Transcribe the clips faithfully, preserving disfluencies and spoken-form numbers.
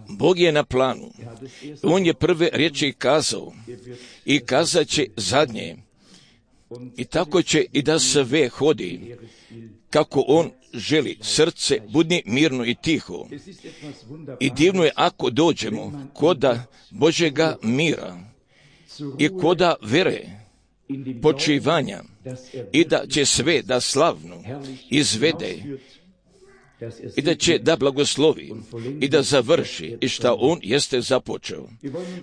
Bog je na planu. On je prve riječi kazao i kazat će zadnje. I tako će i da sve hodi kako on želi. Srce budni mirno i tiho. I divno je ako dođemo koda Božjega mira i koda vere, počivanja, i da će sve da slavno izvede i da će da blagoslovi i da završi i šta on jeste započeo.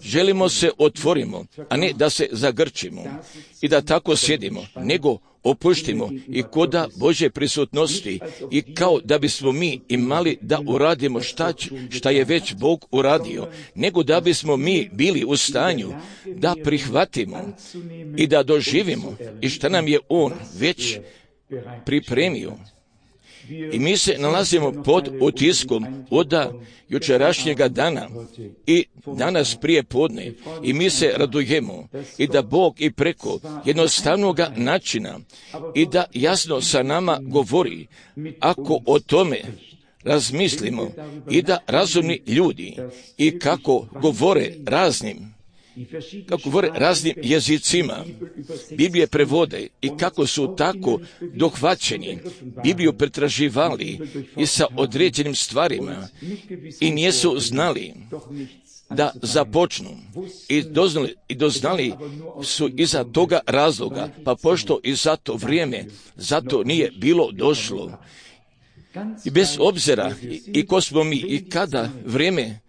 Želimo se otvorimo, a ne da se zagrčimo i da tako sjedimo, nego opuštimo i koda Božje prisutnosti i kao da bismo mi imali da uradimo šta, šta je već Bog uradio, nego da bismo mi bili u stanju da prihvatimo i da doživimo i šta nam je on već pripremio. I mi se nalazimo pod utiskom od jučerašnjega dana i danas prije podne i mi se radujemo i da Bog i preko jednostavnog načina i da jasno sa nama govori ako o tome razmislimo i da razumni ljudi i kako govore raznim kako govore raznim jezicima, Biblije prevode i kako su tako dohvaćeni, Bibliju pretraživali i sa određenim stvarima i nisu znali da započnu i doznali, i doznali su iza toga razloga, pa pošto i za to vrijeme, zato nije bilo došlo. I bez obzira i, i ko smo mi i kada vrijeme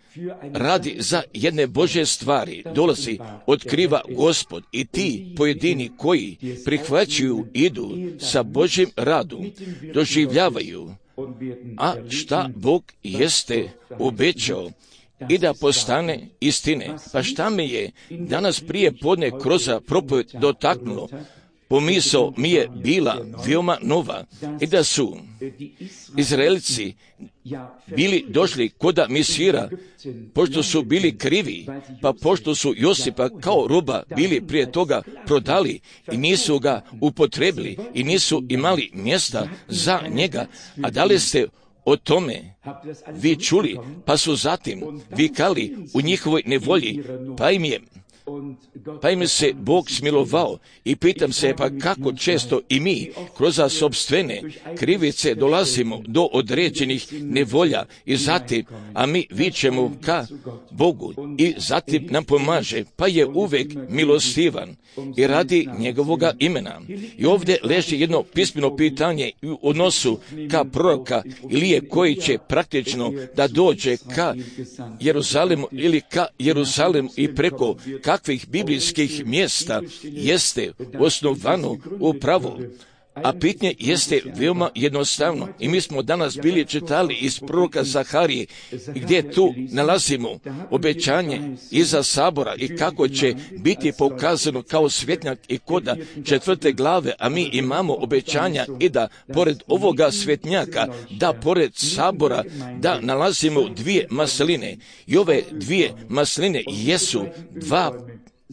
radi za jedne Božje stvari, dolazi, otkriva Gospod i ti pojedini koji prihvaćaju, idu sa Božjim radom, doživljavaju, a šta Bog jeste obećao i da postane istine. Pa šta me je danas prije podne kroz propovjed dotaknulo? Pomisao mi je bila veoma nova i da su Izraelci bili došli koda Misira, pošto su bili krivi, pa pošto su Josipa kao roba bili prije toga prodali i nisu ga upotrebili i nisu imali mjesta za njega. A da li ste o tome vi čuli, pa su zatim vikali u njihovoj nevolji, pa im je Pa im se Bog smilovao i pitam se pa kako često i mi kroz sopstvene krivice dolazimo do određenih nevolja i zatim, a mi vičemo ka Bogu i zatim nam pomaže, pa je uvek milostivan i radi njegovoga imena. I ovdje leži jedno pismeno pitanje u odnosu ka proroka Ilije koji će praktično da dođe ka Jeruzalemu ili ka Jeruzalemu i preko kakvih biblijskih mjesta jeste osnovano upravo. A pitanje jeste veoma jednostavno. I mi smo danas bili čitali iz proroka Zaharije, gdje tu nalazimo obećanje iza sabora i kako će biti pokazano kao svjetnjak i koda četvrte glave, a mi imamo obećanja i da pored ovoga svjetnjaka, da pored sabora, da nalazimo dvije masline. I ove dvije masline jesu dva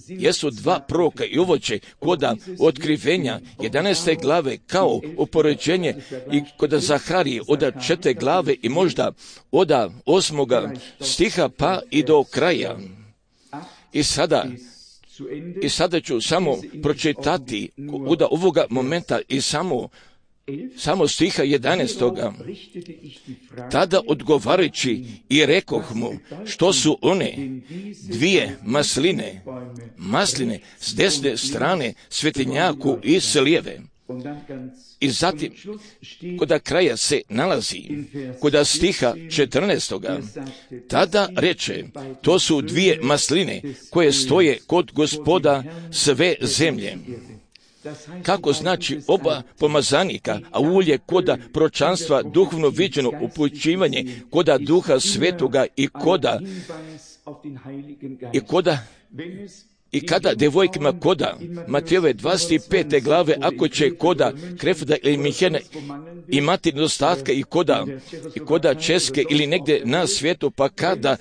jesu dva proroka i ovo će koda otkrivenja jedanaeste glave kao upoređenje i koda Zaharije od četvrte glave i možda od osmoga stiha pa i do kraja. I sada i sada ću samo pročitati od ovoga momenta i samo samo stiha jedanaestoga. Tada odgovarajući i rekoh mu, što su one dvije masline, masline s desne strane svetinjaku i s lijeve. I zatim, koda kraja se nalazi, koda stiha četrnaestoga, tada reče, to su dvije masline koje stoje kod Gospoda sve zemlje. Kako znači oba pomazanika, a ulje koda pročanstva duhovno viđeno upućivanje koda Duha Svetoga i koda i koda i kada devojkima koda Matejove dvadeset pete glave, ako će koda Krefda ili Mihena imati nedostatka i koda, i koda Česke ili negdje na svijetu, pa kada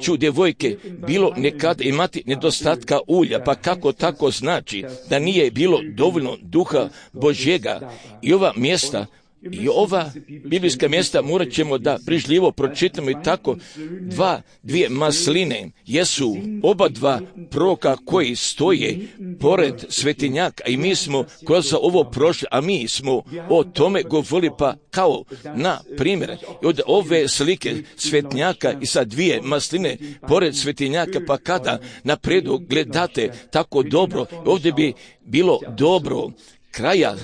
ću devojke bilo nekada imati nedostatka ulja, pa kako tako znači da nije bilo dovoljno Duha Božjega i ova mjesta I ova biblijska mjesta morat ćemo da brižljivo pročitamo i tako. Dva, dvije masline jesu oba dva proroka koji stoje pored svetinjaka i mi smo kroz ovo prošli, a mi smo o tome govorili pa kao na primjer od ove slike svetinjaka i sa dvije masline pored svetinjaka, pa kada napredu gledate tako dobro, ovdje bi bilo dobro kraja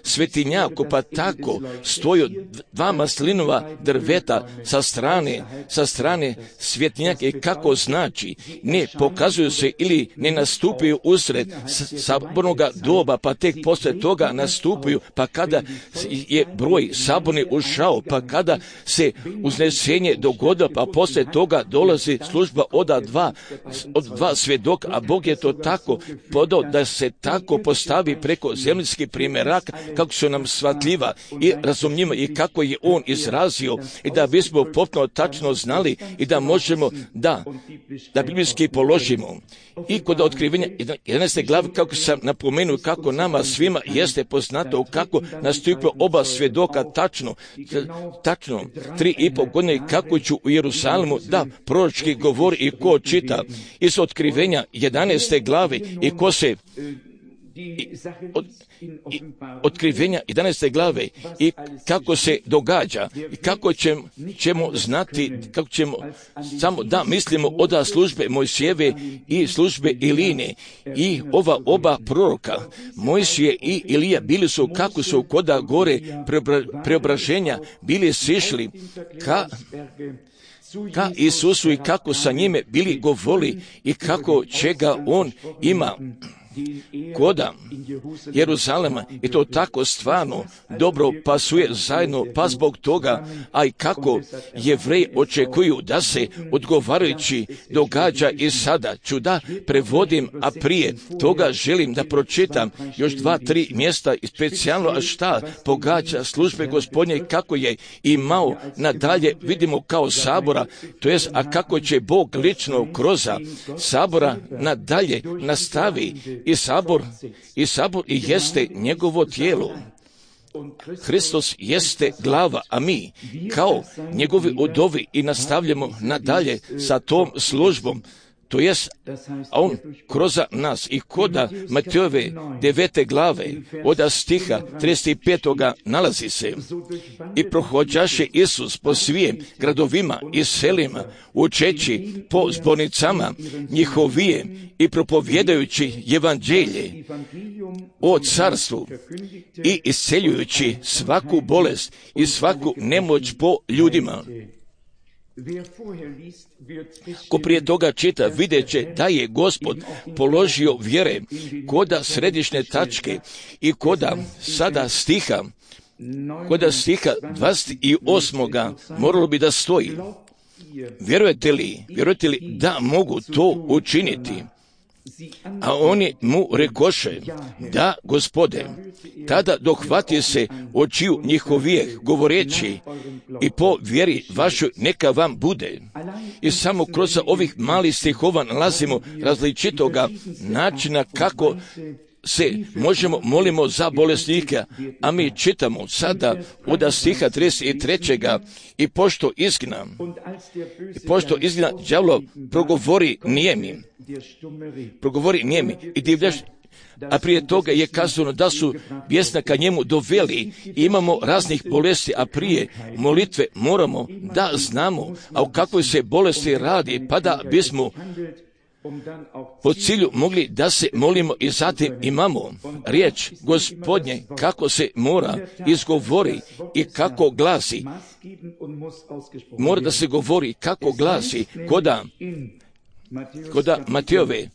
svetinjaku, pa tako stoju dva maslinova drveta sa strane, sa strane svetinjaka i kako znači, ne pokazuju se ili ne nastupaju usred sabornog doba, pa tek posle toga nastupaju, pa kada je broj saborni ušao, pa kada se uznesenje dogodilo, pa posle toga dolazi služba od dva, od dva svjedoka, a Bog je to tako podao da se tako postavi preko zemljskih primjeraka, kako su nam shvatljiva i razumljiva i kako je on izrazio i da bismo potpuno tačno znali i da možemo da, da biblijski položimo. I kod otkrivenja jedanaeste glave, kako sam napomenuo, kako nama svima jeste poznato kako nastupio oba svjedoka tačno, tačno tri i pol godine kako ću u Jerusalimu da proročki govori i ko čita iz otkrivenja jedanaeste glave i ko se I, od, i otkrivenja jedanaeste glave i kako se događa i kako ćemo, ćemo znati, kako ćemo samo da mislimo od službe Mojsijeve i službe Iline i ova oba proroka Mojsije i Ilija bili su kako su koda gore preobra, preobraženja bili sišli ka ka Isusu i kako sa njime bili govorili i kako čega on ima koda Jeruzalema i to tako stvarno dobro pasuje zajedno, pa zbog toga, a i kako Jevreji očekuju da se odgovarajući događa i sada ću da prevodim, a prije toga želim da pročitam još dva, tri mjesta i specijalno, a šta pogađa službe Gospodnje kako je imao nadalje, vidimo kao sabora, to jest, a kako će Bog lično kroz sabora nadalje nastavi i sabor, i sabor i jeste njegovo tijelo. Hristos jeste glava, a mi kao njegovi udovi i nastavljamo nadalje sa tom službom. To jest, a on kroz nas i koda Matejove devete glave od stiha trideset petoga nalazi se i prohođaše Isus po svim gradovima i selima učeći po zbornicama njihovije i propovjedajući evanđelje o carstvu i isceljujući svaku bolest i svaku nemoć po ljudima. Ko prije toga čita, vidjet će da je Gospod položio vjere koda središnje tačke i koda sada stiha, koda stiha dvadeset osam moralo bi da stoji. Vjerujete li, vjerujete li da mogu to učiniti? A oni mu rekoše, da, Gospode. Tada dohvati se očiju njihovijeh, govoreći, i po vjeri vašoj neka vam bude. I samo kroz ovih malih stihova nalazimo različitoga načina kako se možemo molimo za bolesnika, a mi čitamo sada od stiha trideset trećega i pošto izgna, i pošto izgna đavlo progovori nijemi, progovori nijemi i divljaš, a prije toga je kazano da su vjesnaka njemu doveli i imamo raznih bolesti, a prije molitve moramo da znamo, a o kakvoj se bolesti radi, pa da bismo po cilju mogli da se molimo i zatim imamo riječ Gospodnje kako se mora izgovori i kako glasi. Mora da se govori kako glasi koda, koda Matejove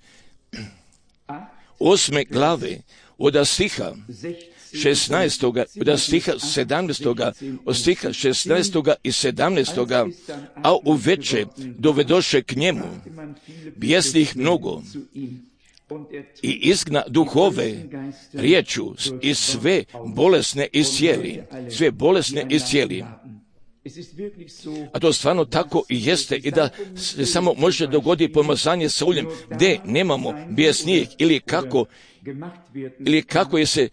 osme glave od stiha šesnaestoga, od stiha sedamnaestoga, od stiha šesnaestoga i sedamnaestoga, a uveče dovedoše k njemu bijesnih mnogo i izgna duhove riječu i sve bolesne iscijeli, sve bolesne iscijeli. A to stvarno tako i jeste i da se samo može dogoditi pomazanje sa uljem gdje nemamo bijesnijeg ili kako ili kako je se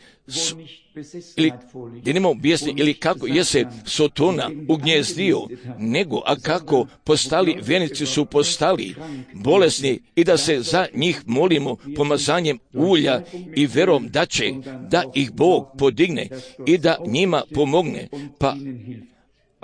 ili gdje nemamo bijesnijeg ili kako je se Sotona ugnjezdio, nego a kako postali vjernici su postali bolesni i da se za njih molimo pomazanjem ulja i verom da će da ih Bog podigne i da njima pomogne. Pa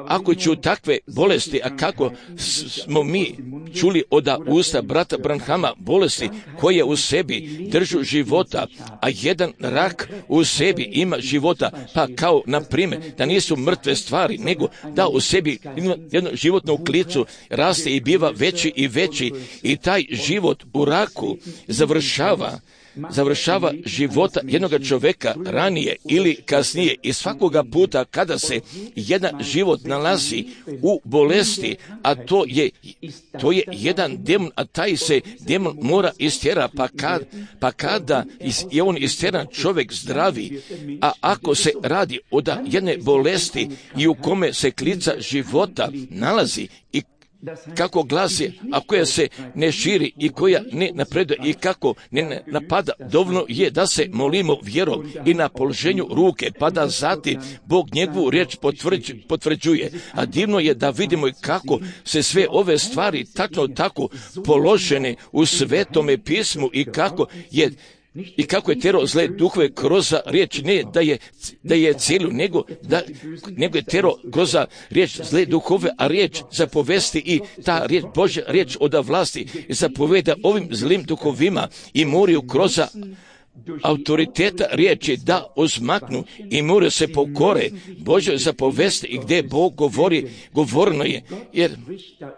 ako ću takve bolesti, a kako smo mi čuli od usta brata Branhama, bolesti koje u sebi držu života, a jedan rak u sebi ima života, pa kao na primjer da nisu mrtve stvari, nego da u sebi jednu životnu klicu raste i biva veći i veći i taj život u raku završava završava života jednoga čovjeka ranije ili kasnije i svakoga puta kada se jedan život nalazi u bolesti, a to je, to je jedan demon, a taj se demon mora istjera, pa, kad, pa kada je on istjeran čovjek zdravi, a ako se radi od jedne bolesti i u kome se klica života nalazi i kako glasi, a koja se ne širi i koja ne napreduje i kako ne napada, dovoljno je da se molimo vjerom i na položenju ruke, pa da zatim Bog njegovu riječ potvrđuje. A divno je da vidimo i kako se sve ove stvari tačno tako položene u Svetome pismu i kako je I kako je tero zle duhove kroz riječ, ne da je, da je cijelu, nego, da, nego je tero kroz riječ zle duhove, a riječ zapovesti i ta riječ, Božja riječ od vlasti zapoveda ovim zlim duhovima i moraju kroz autoriteta riječi da uzmaknu i moraju se pokore Božjoj zapovesti i gdje Bog govori, govorno je, jer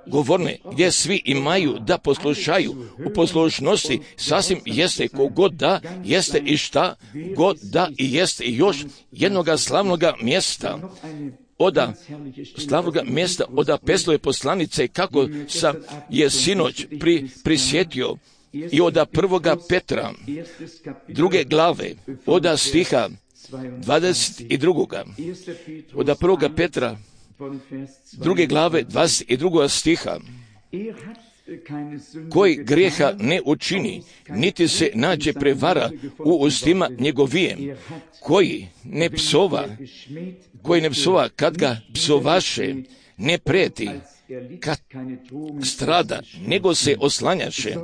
govorno je, gdje svi imaju da poslušaju u poslušnosti, sasvim jeste kogod da jeste i šta god da i jeste i još jednoga slavnoga mjesta oda slavnoga mjesta oda Peslove poslanice kako sam je sinoć pri, prisjetio i oda prvoga Petra, druge glave, oda stiha dvadeset drugoga Oda prvoga Petra, druge glave, dvadeset drugoga stiha, koji grijeha ne učini, niti se nađe prevara u ustima njegovijem, koji ne psova, koji ne psova kad ga psovaše, ne preti, kad strada, nego se oslanjaše,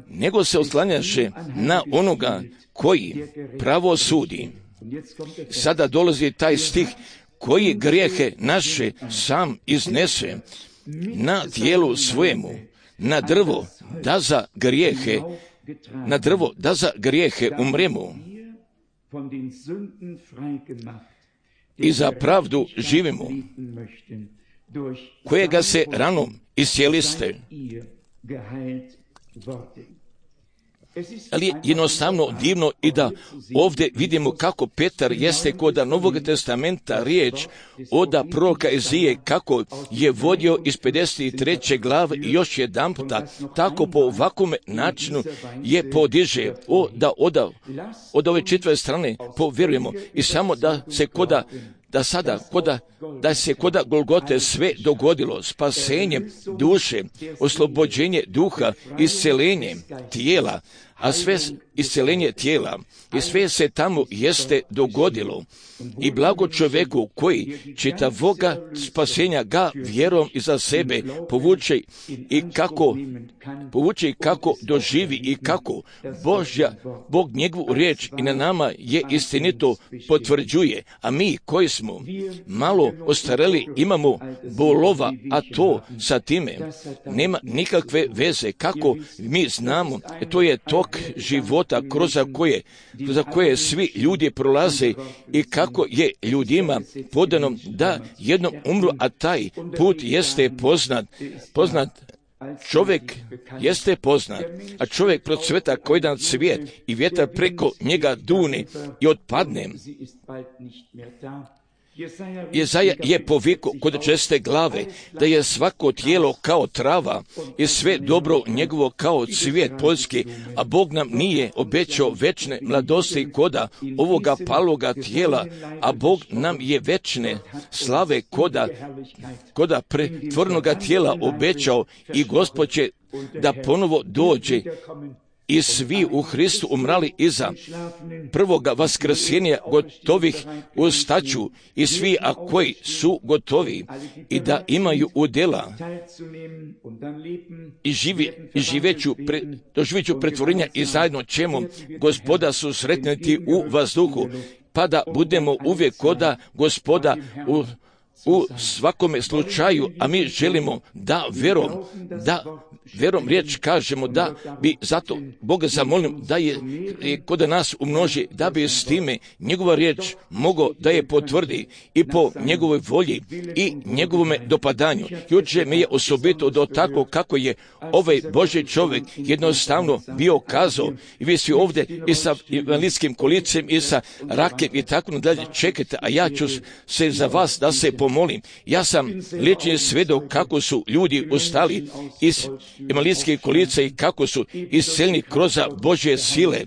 nego se oslanjaše na onoga koji pravo sudi. Sada dolazi taj stih, koji grijehe naše sam iznese na tijelu svojemu, na drvo, da za grijehe, na drvo, da za grijehe umremo i za pravdu živimo, kojega se ranom iscijeliste. Ali je jednostavno divno i da ovdje vidimo kako Petar jeste kod Novog testamenta riječ oda proroka Ezije, kako je vodio iz pedeset treće glave i još jedan puta tako po ovakvom načinu je podiže o, da oda, od ove čitve strane povjerujemo i samo da se koda da sada, koda, da se koda Golgote sve dogodilo, spasenje duše, oslobođenje duha, isceljenje tijela, a sve isceljenje tijela i sve se tamo jeste dogodilo. I blago čovjeku koji čitavoga spasenja ga vjerom iza sebe povuče i kako povuče i kako doživi i kako Božja, Bog njegovu riječ i na nama je istinito potvrđuje, a mi koji smo malo ostareli imamo bolova, a to sa time nema nikakve veze kako mi znamo, to je tok života kroz koje, kroz koje svi ljudi prolaze i kako je ljudima podano da jednom umru, a taj put jeste poznat, poznat čovjek jeste poznat, a čovjek procveta kao jedan cvijet i vjetar preko njega dune i otpadne. Jezaja je povikao kod česte glave da je svako tijelo kao trava i sve dobro njegovo kao cvijet poljski, a Bog nam nije obećao večne mladosti koda ovoga paloga tijela, a Bog nam je večne slave koda, koda pretvornoga tijela obećao i Gospod će da ponovo dođe i svi u Hristu umrali iza prvoga vaskrsenja gotovih ustaću i svi, a koji su gotovi i da imaju udjela i, živi, i živeću, pre, doživeću pretvorenja i zajedno ćemo Gospoda susretniti u vazduhu, pa da budemo uvijek koda Gospoda u u svakome slučaju, a mi želimo da vjerom, da vjerom riječ kažemo da bi zato Boga zamolim da je, je kod nas umnoži, da bi s time njegova riječ mogao da je potvrdi i po njegovoj volji i njegovome dopadanju. Juče mi je osobito do tako kako je ovaj Božji čovjek jednostavno bio kazao i vi svi ovdje i sa invalidskim kolicem i sa rakem i tako dalje čekajte, a ja ću se za vas da se pomolim. Ja sam lični svedok kako su ljudi ustali iz invalidskih kolica i kako su isceljeni kroz Božje sile,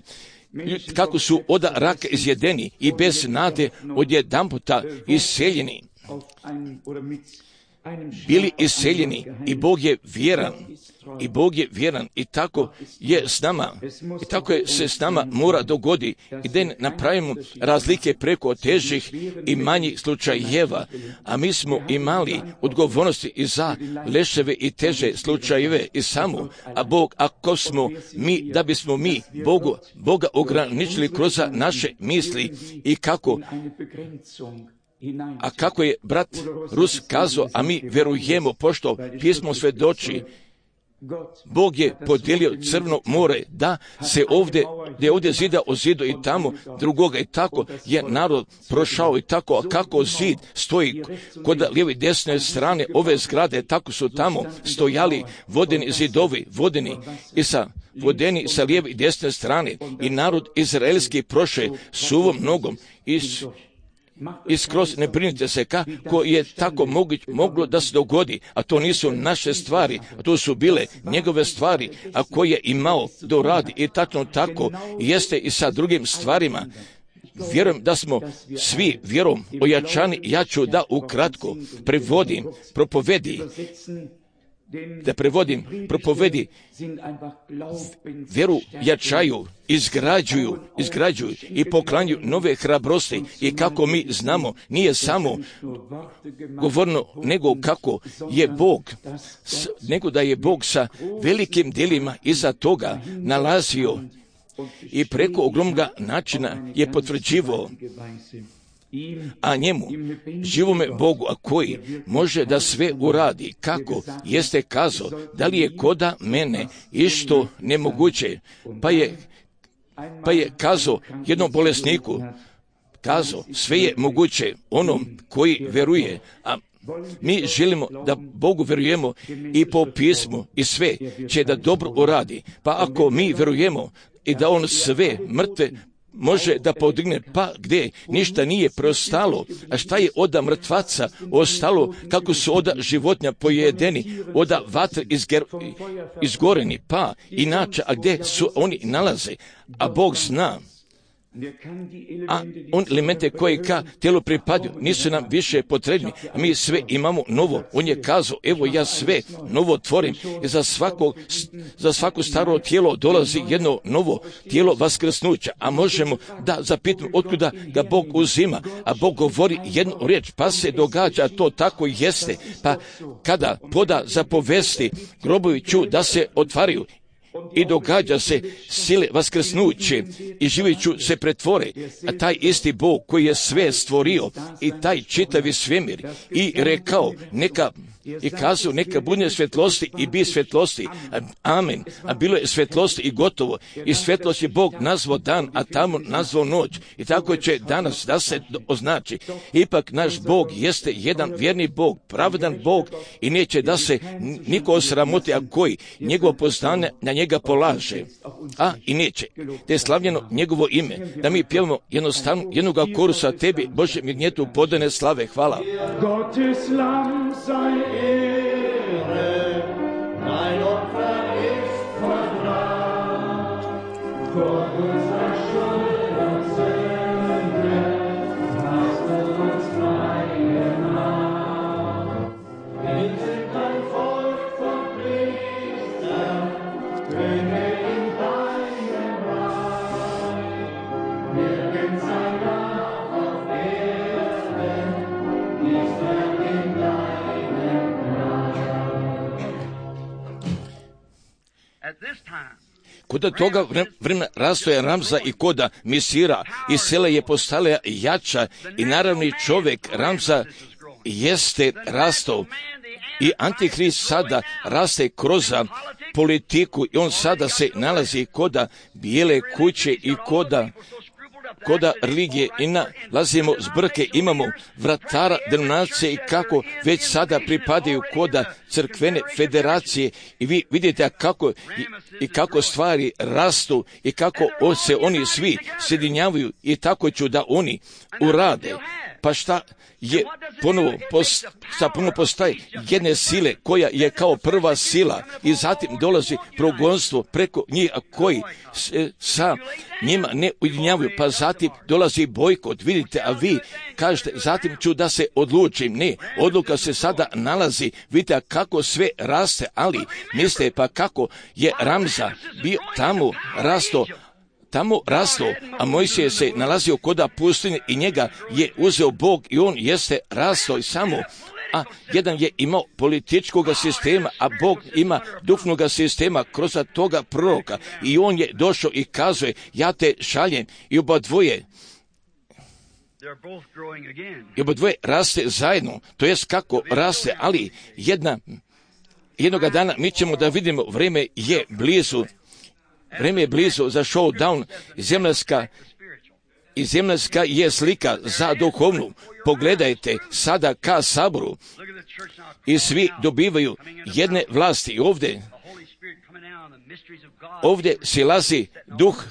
kako su od raka izjedeni i bez nade odjedanputa isceljeni. Bili isceljeni i Bog je vjeran. I Bog je vjeran i tako je s nama. I tako je se s nama mora dogodi i da napravimo razlike preko težih i manjih slučajeva. A mi smo imali odgovornosti i za leševe i teže slučajeve i samo. A Bog, ako smo mi, da bismo mi Bogu, Boga ograničili kroz naše misli i kako A kako je brat Rus kazao, a mi vjerujemo, pošto pismo svedoči, Bog je podijelio Crveno more da se ovdje, da je ovdje zida o zidu i tamo drugoga i tako je narod prošao i tako, a kako zid stoji kod lijeve i desne strane ove zgrade, tako su tamo stojali vodeni zidovi, vodeni i sa vodeni sa lijeve i desne strane i narod izraelski proše suvom nogom i I skroz ne brinite se kako je tako moguć, moglo da se dogodi, a to nisu naše stvari, a to su bile njegove stvari, a koje je imao da uradi i tačno tako jeste i sa drugim stvarima. Vjerujem da smo svi vjerom ojačani, ja ću da ukratko prevodim, propovedi, da prevodim, propovedi, vjeru jačaju, izgrađuju, izgrađuju i poklanjuju nove hrabrosti i kako mi znamo, nije samo govorno, nego kako je Bog, nego da je Bog sa velikim djelima iza toga nalazio i preko ogromnoga načina je potvrđivao, a njemu, živome Bogu, a koji može da sve uradi, kako jeste kazao, da li je koda mene išto nemoguće, pa je, pa je kazao jednom bolesniku, kazao, sve je moguće onom koji veruje, a mi želimo da Bogu verujemo i po pismu i sve će da dobro uradi, pa ako mi verujemo i da on sve mrtve može da podigne, pa gdje ništa nije preostalo, a šta je oda mrtvaca ostalo, kako su oda životinja pojedeni, oda vatre izger, izgoreni, pa inače, a gdje su oni nalaze, a Bog zna. A on elemente koje ka tijelu pripadaju nisu nam više potrebni, a mi sve imamo novo. On je kazao, evo ja sve novo tvorim i za svako, za svako staro tijelo dolazi jedno novo tijelo vaskrsnuća, a možemo da zapitamo otkuda ga Bog uzima, a Bog govori jednu riječ, pa se događa to tako jeste, pa kada poda zapovesti grobovi ću da se otvaraju, i događa se sile vaskrsnuće i živiću se pretvore, a taj isti Bog koji je sve stvorio i taj čitavi svemir i rekao neka i kazao neka bude svjetlosti i bi svjetlosti. Amen. A bilo je svjetlosti i gotovo. I svjetlost je Bog nazvao dan, a tamo nazvao noć. I tako će danas da se označi. Ipak naš Bog jeste jedan vjerni Bog, pravedan Bog i neće da se niko osramoti, a koji njegovo poznanje na njega polaže. A i neće. Da je slavljeno njegovo ime. Da mi pjevamo jednostavno jednoga korusa tebi, Bože mi gnjetu podane slave. Hvala. Gottes Lamm sei Ehre, dein Opfer ist vollbracht. Vor unserer Schuld und Sünde hast du uns frei gemacht. Wir sind ein Volk von Priestern, Könige in deinem Reich. Nirgends ein Gott auf Erden ist er in deinem Reich. At this time, Koda toga vre- vremena rastoja Ramza i koda Misira i sela je postala jača i naravni čovjek Ramza jeste rastao i Antihrist sada raste kroz politiku i on sada se nalazi koda bijele kuće i koda koda religije i nalazimo zbrke, imamo vratara denominacije i kako već sada pripadaju koda crkvene federacije i vi vidite kako i, i kako stvari rastu i kako o- se oni svi sjedinjavaju i tako ću da oni urade. Pa šta je ponovo, post, šta ponovo postaje jedne sile koja je kao prva sila i zatim dolazi progonstvo preko njih, a koji se sa njima ne ujedinjavaju, pa zatim dolazi bojkot, vidite, a vi kažete, zatim ću da se odlučim. Ne, odluka se sada nalazi, vidite kako sve raste, ali mislite pa kako je Ramza bio tamo rasto, tamo rasto, a Mojsije se nalazio koda pustinje i njega je uzeo Bog i on jeste rasto i samo, a jedan je imao političkog sistema, a Bog ima duhovnog sistema kroz toga proroka i on je došao i kazuje, ja te šaljem i oba dvoje they're both growing again. i oba dvoje raste zajedno, to jest kako raste, ali jedna, jednoga dana mi ćemo da vidimo, vrijeme je blizu, vrijeme je blizu za showdown, zemljska i zemljska je slika za duhovnu. Pogledajte sada ka saboru Look at the church now. i svi dobivaju jedne vlasti i ovdje, The Holy Spirit coming down, the mysteries of God. ovdje silazi duh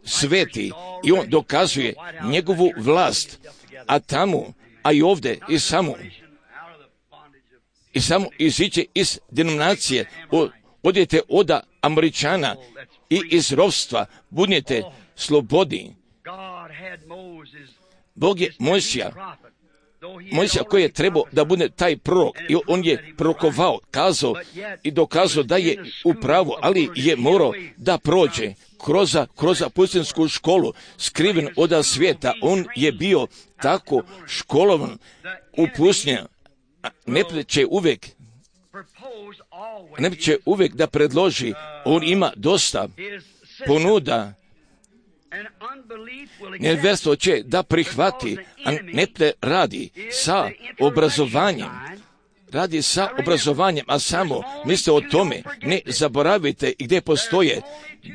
sveti i on dokazuje njegovu vlast, a tamo, a i ovdje i samo, Out of the bondage of i samo iziće iz denominacije, o- odjete od Američana i iz ropstva, budete slobodni. God had Moses, Bog je Mojsija, prophet, though he had Mojsija koji je trebao da bude taj prorok i on je prorokovao, kazao i dokazao da je u pravu, ali je morao da prođe kroz, kroz pustinsku školu, skriven od svijeta. On je bio tako školovan u pustinji. Ne će uvijek, proposed always ne će uvijek da predloži, on ima dosta his system. ponuda. And unbelief will accept Nevjerstvo će da prihvati, a ne te radi sa obrazovanjem. Radi sa obrazovanjem, a samo mislite o tome, ne zaboravite gdje postoje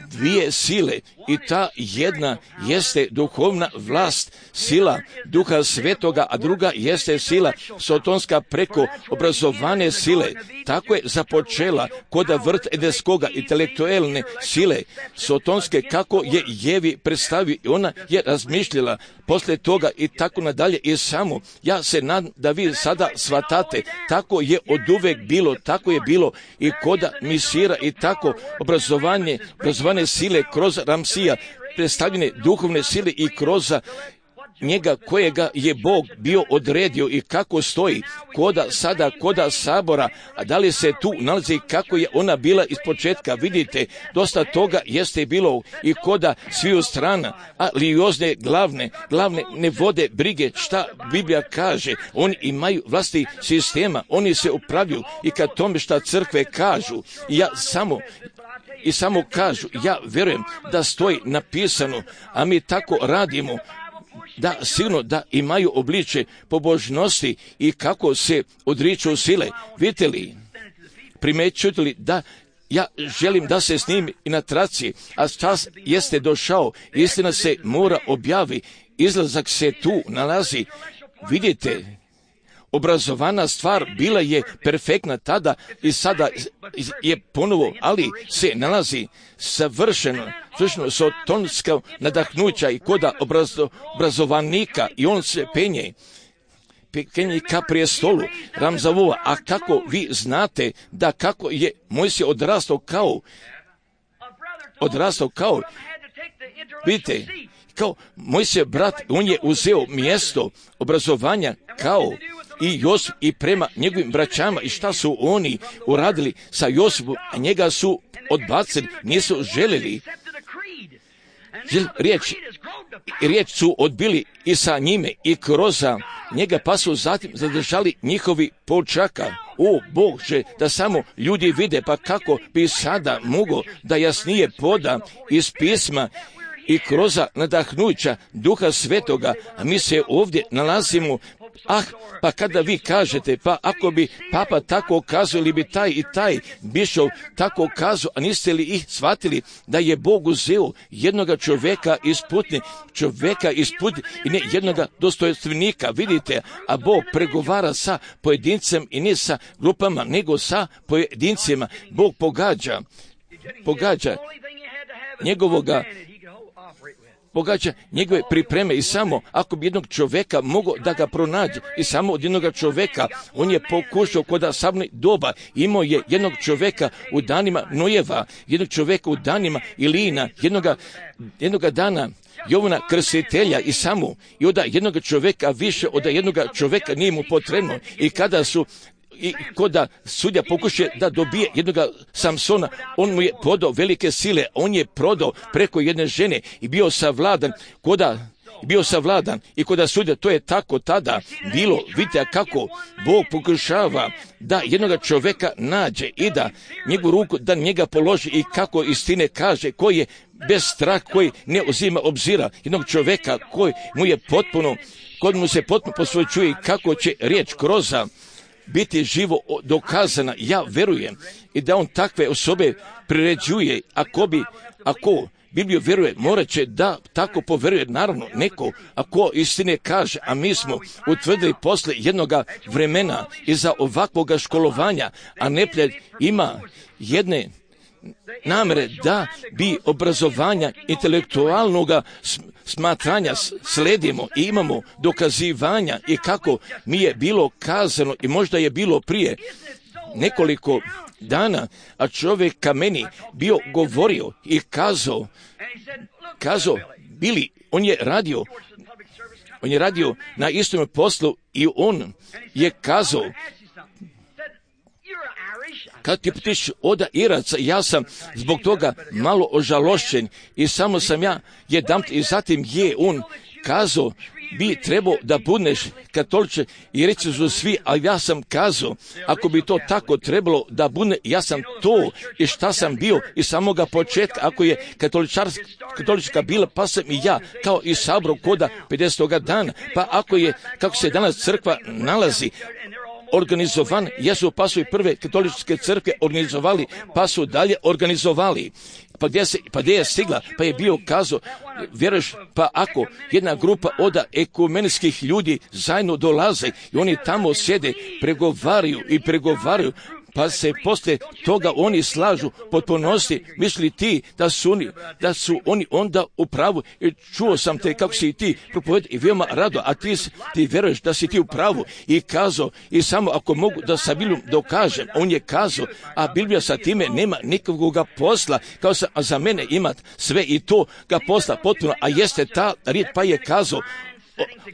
dvije sile i ta jedna jeste duhovna vlast, sila Duha Svetoga, a druga jeste sila sotonska preko obrazovane sile. Tako je započela kod vrt edeskoga intelektualne sile sotonske, kako je Jevi predstavio i ona je razmišljala poslije toga i tako nadalje i samo. Ja se nadam da vi sada shvatate, tako je oduvek bilo, tako je bilo i koda Misira i tako obrazovanje, obrazovane sile kroz Ramsija, predstavljene duhovne sile i kroz njega kojega je Bog bio odredio i kako stoji koda sada, koda sabora, a da li se tu nalazi kako je ona bila iz početka. Vidite, dosta toga jeste bilo i koda sviju strana, a liozne glavne, glavne ne vode brige šta Biblija kaže. Oni imaju vlasti sistema, oni se upravljaju i kad tome šta crkve kažu. I ja samo i samo kažu, ja vjerujem da stoji napisano, a mi tako radimo. da sigurno da imaju obličje pobožnosti i kako se odriču sile. Vidite li, primećujete li da ja želim da se snimi i na traci, a čas jeste došao, istina se mora objavi, izlazak se tu nalazi. Vidite, obrazovana stvar bila je perfektna tada i sada je ponovo, ali se nalazi savršeno, savršeno sotonska nadahnuća i koda obrazo, obrazovanika i on se penje. Penje ka prijestolu Ramzavova, a kako vi znate da kako je Mojsije odrastao kao, odrastao kao, vidite, kao Mojsije brat, on je uzeo mjesto obrazovanja kao i Josip i prema njegovim braćama i šta su oni uradili sa Josipom, a njega su odbacili, nisu željeli. Riječ, riječ su odbili i sa njime i kroz njega, pa su zatim zadržali njihovi počaka. O Bože, da samo ljudi vide, pa kako bi sada mogo da jasnije poda iz pisma i kroz nadahnuća Duha Svetoga, a mi se ovdje nalazimo. Ah, pa kada vi kažete, pa ako bi papa tako kazao ili bi taj i taj bišov tako kazao, a niste li ih shvatili da je Bog uzeo jednoga čovjeka iz putne, čovjeka iz putne i ne jednoga dostojanstvenika, vidite, a Bog pregovara sa pojedincem i ne sa grupama, nego sa pojedincima. Bog pogađa, pogađa njegovoga pogađa njegove pripreme i samo ako bi jednog čovjeka mogao da ga pronađe i samo od jednog čovjeka on je pokušao kod samog doba, imao je jednog čovjeka u danima Nojeva, jednog čovjeka u danima Ilina, jednoga, jednoga dana Jovana Krstitelja i samo i od jednog čovjeka više od jednog čovjeka nije mu potrebno i kada su i koda sudja pokušuje da dobije jednog Samsona, on mu je prodao velike sile, on je prodao preko jedne žene i bio savladan, koda bio savladan i koda sudja, to je tako tada bilo. Vidite kako Bog pokušava da jednog čovjeka nađe i da njegovu ruku da njega položi i kako istine kaže, koji je bez strah, koji ne uzima obzira, jednog čovjeka koji mu je potpuno, kod mu se potpuno posvećuje i kako će riječ kroza biti živo dokazana. Ja verujem i da on takve osobe priređuje. Ako bi, ako Bibliju vjeruje, morat će da tako poveruje. Naravno, neko, ako istine kaže, a mi smo utvrdili posle jednoga vremena iza ovakvoga školovanja, a neprijatelj ima jedne namere da bi obrazovanja intelektualnog smatranja sledimo i imamo dokazivanja i kako mi je bilo kazano i možda je bilo prije nekoliko dana, a čovjek ka meni bio govorio i kazao, kazao, bili, on je radio, on je radio na istom poslu i on je kazao, kad ti putiš oda Iraca, ja sam zbog toga malo ožalošćen i samo sam ja jedan i zatim je on kazao, bi trebao da budeš katoliče i reći su svi, a ja sam kazao, ako bi to tako trebalo da bude, ja sam to i šta sam bio i samoga početka, ako je katolička bila, pa sam i ja, kao i sabro koda pedesetoga dana, pa ako je, kako se danas crkva nalazi, organizovan, jesu pa su i prve katoličke crkve organizovali, pa su dalje organizovali. Pa gdje, se, pa gdje je stigla, pa je bio kazao, vjeruješ, pa ako jedna grupa od ekumenskih ljudi zajedno dolaze i oni tamo sjede, pregovaraju i pregovaraju, pa se poslije toga oni slažu potpunosti, misli ti da su oni, da su oni onda u pravu. I čuo sam te kako si ti propovedao i veoma rado, a ti, ti vjeruješ da si ti u pravu i kazao i samo ako mogu da sa Biblijom dokažem, on je kazao, a Biblija sa time nema nikakvog posla, kao sa, a za mene ima sve i to ga posla potpuno, a jeste ta riječ, pa je kazao,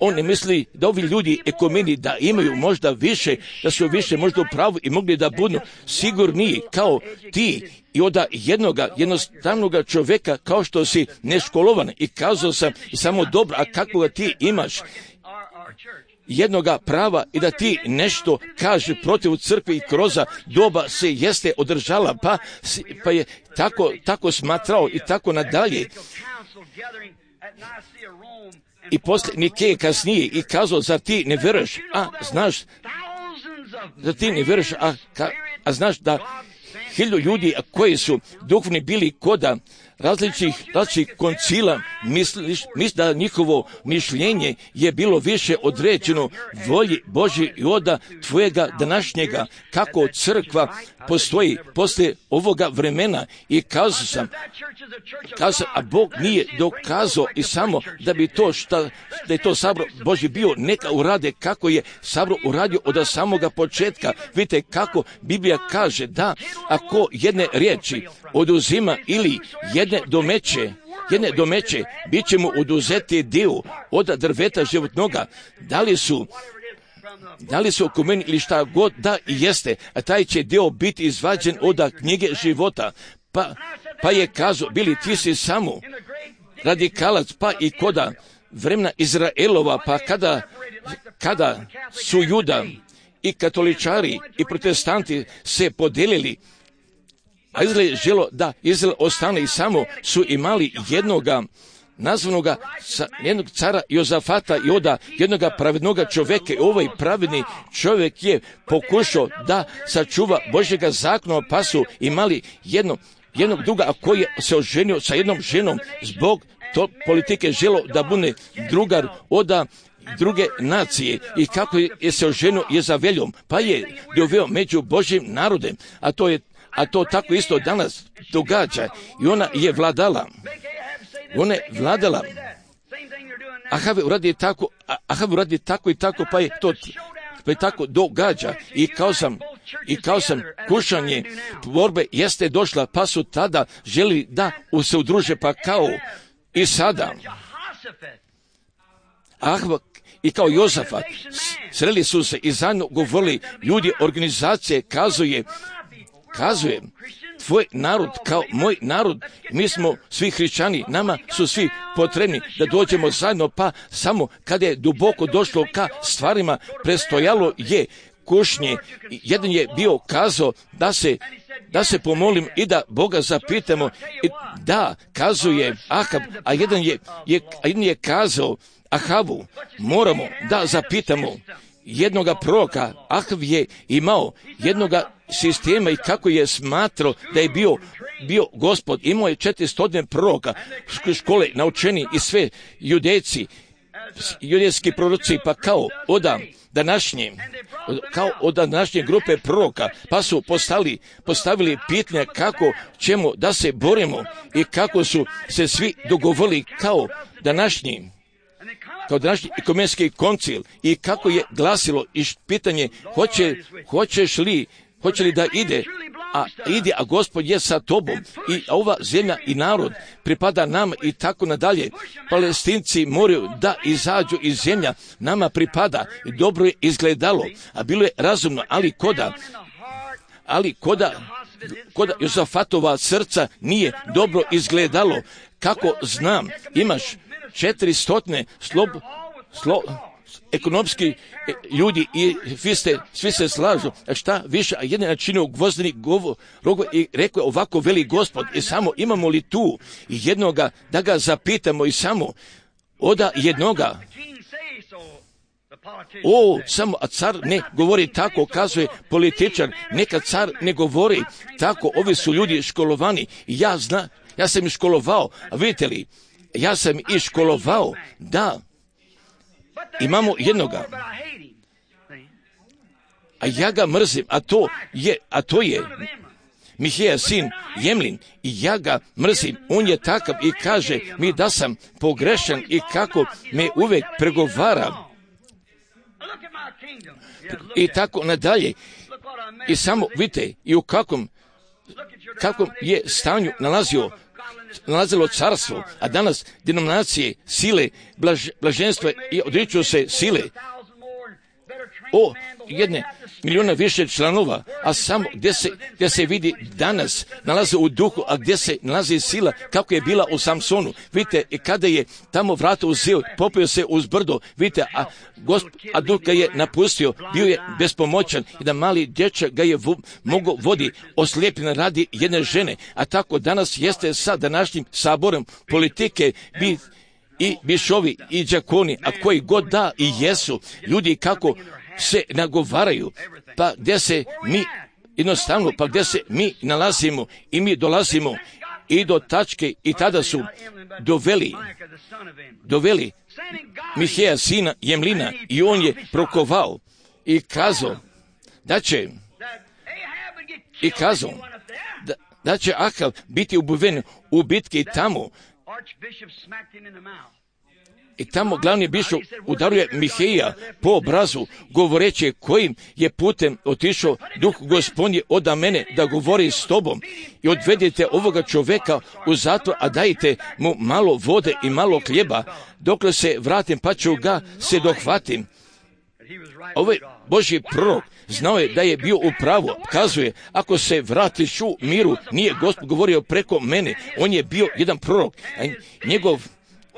on ne misli da ovi ljudi ekumeni da imaju možda više, da su više možda u pravu i mogli da budu sigurniji kao ti i od jednoga jednostavnog čovjeka kao što si neškolovan i kazao sam i samo dobro, a kakvoga ti imaš jednoga prava i da ti nešto kaže protiv crkve i kroz doba se jeste održala, pa, pa je tako, tako smatrao i tako nadalje. i poslije Nikeje kasnije i kazao, zar ti ne vjeruješ, a znaš, zar ti ne vjeruješ, a, ka, a znaš da hiljadu ljudi koji su duhovni bili koda različitih, različitih koncila, misliš, misliš da njihovo mišljenje je bilo više određeno volji Božji i oda tvojega današnjega, kako crkva postoji poslije ovoga vremena. I kazao sam, kazao, a Bog nije dokazao i samo da bi to šta, da je to sabor Božji bio, neka urade kako je sabor uradio od samoga početka. Vidite kako Biblija kaže da ako jedne riječi oduzima ili jedne domeće, jedne domeće, bit će mu oduzeti dio od drveta životnoga. Da li su Da li su oko meni ili šta god da i jeste, a taj će dio biti izvađen od knjige života. Pa, pa je kazao, bili ti si samo radikalac, pa i koda vremena Izraelova, pa kada, kada su Juda i katoličari i protestanti se podelili, a Izrael je želo da Izrael ostane i samo su imali jednoga nazvanoga jednog cara Jozafata i oda jednoga pravednoga čovjeka. I ovaj pravedni čovjek je pokušao da sačuva Božjega zakona, pa su imali jedno, jednog druga, a koji je se oženio sa jednom ženom zbog to politike želo da bude drugar oda druge nacije i kako je se oženio Jezaveljom, pa je doveo među Božjim narodem, a to je a to tako isto danas događa i ona je vladala. Ona je vladala. Ahav uradi tako, Ahav uradi tako i tako, pa je to pa je tako događa. I kao sam, i kao sam kušanje borbe jeste došla, pa su tada želi da se udruže, pa kao i sada. Ahav i kao Jozafat sreli su se i zajedno govorili ljudi organizacije, kazuje, kazuje, tvoj narod kao moj narod, mi smo svi hrišćani, nama su svi potrebni da dođemo zajedno, pa samo kada je duboko došlo ka stvarima, prestojalo je kušnje. Jedan je bio kazao da se, da se pomolim i da Boga zapitamo, i da kazuje Ahab, a jedan je, je, a jedan je kazao Ahavu, moramo da zapitamo jednoga proroka. Ahav je imao jednoga sistema i kako je smatrao da je bio, bio gospod. Imao je četiristo proroka, škole naučeni i sve judejci, judejski proroci, pa kao oda današnje, kao od današnje grupe proroka, pa su postali, postavili pitanje kako ćemo da se borimo i kako su se svi dogovorili kao današnji kao današnji ekumenski koncil i kako je glasilo i pitanje hoće, hoćeš li, hoće li da ide, a ide, a Gospod je sa tobom i ova zemlja i narod pripada nama i tako nadalje. Palestinci moraju da izađu iz zemlja, nama pripada i dobro je izgledalo, a bilo je razumno, ali koda, ali koda, koda Jozafatova srca nije dobro izgledalo. Kako znam, imaš četiri stotine slob, slo, ekonomski ljudi i vi ste, svi se slažu, a šta više, a jedan načinio gvozdeni govor i rekao je ovako veli Gospod, i samo imamo li tu jednoga da ga zapitamo i samo oda jednoga. O, samo, a car ne govori tako, kazuje političar, neka car ne govori tako, ovi su ljudi školovani, ja zna, ja sam ih školovao, a vidite li, ja sam i školovao, da, imamo jednoga, a ja ga mrzim, a to je, a to je Mihija sin Jemlin, i ja ga mrzim, on je takav i kaže mi da sam pogrešan i kako me uvek pregovara i tako nadalje. I samo vidite i u kakvom, kakvom je stanju nalazio nalazilo carstvo, a danas denominacije sile, blaž, blaženstva i odriču se sile o jedne milijuna više članova, a samo gdje se, gdje se vidi danas nalaze u duhu, a gdje se nalazi sila kako je bila u Samsonu. Vidite, i kada je tamo vrata uzeo, popio se uz brdo, vidite, a, gosp, a duh ga je napustio, bio je bespomoćan i da mali dječak ga je vo, mogo vodi oslijepljen radi jedne žene, a tako danas jeste sa današnjim saborom politike bi i bišovi i đakoni, a koji god da i jesu, ljudi kako se nagovaraju, pa gdje se mi jednostavno, pa gdje se mi nalazimo i mi dolazimo i do tačke i tada su doveli, doveli Miheja sina Jemlina i on je prokovao i kazao da će i kazao da, da će Ahav biti ubiven u bitki tamo. I tamo glavni bišov udaruje Miheja po obrazu, govoreći kojim je putem otišao duh Gospodnji oda mene da govori s tobom i odvedite ovoga čoveka u zatvor, a dajte mu malo vode i malo hljeba, dokle se vratim pa ću ga se dohvatim. Ovaj Božji prorok znao je da je bio u pravu, kazuje, ako se vratiš u miru, nije Gospod govorio preko mene, on je bio jedan prorok, a njegov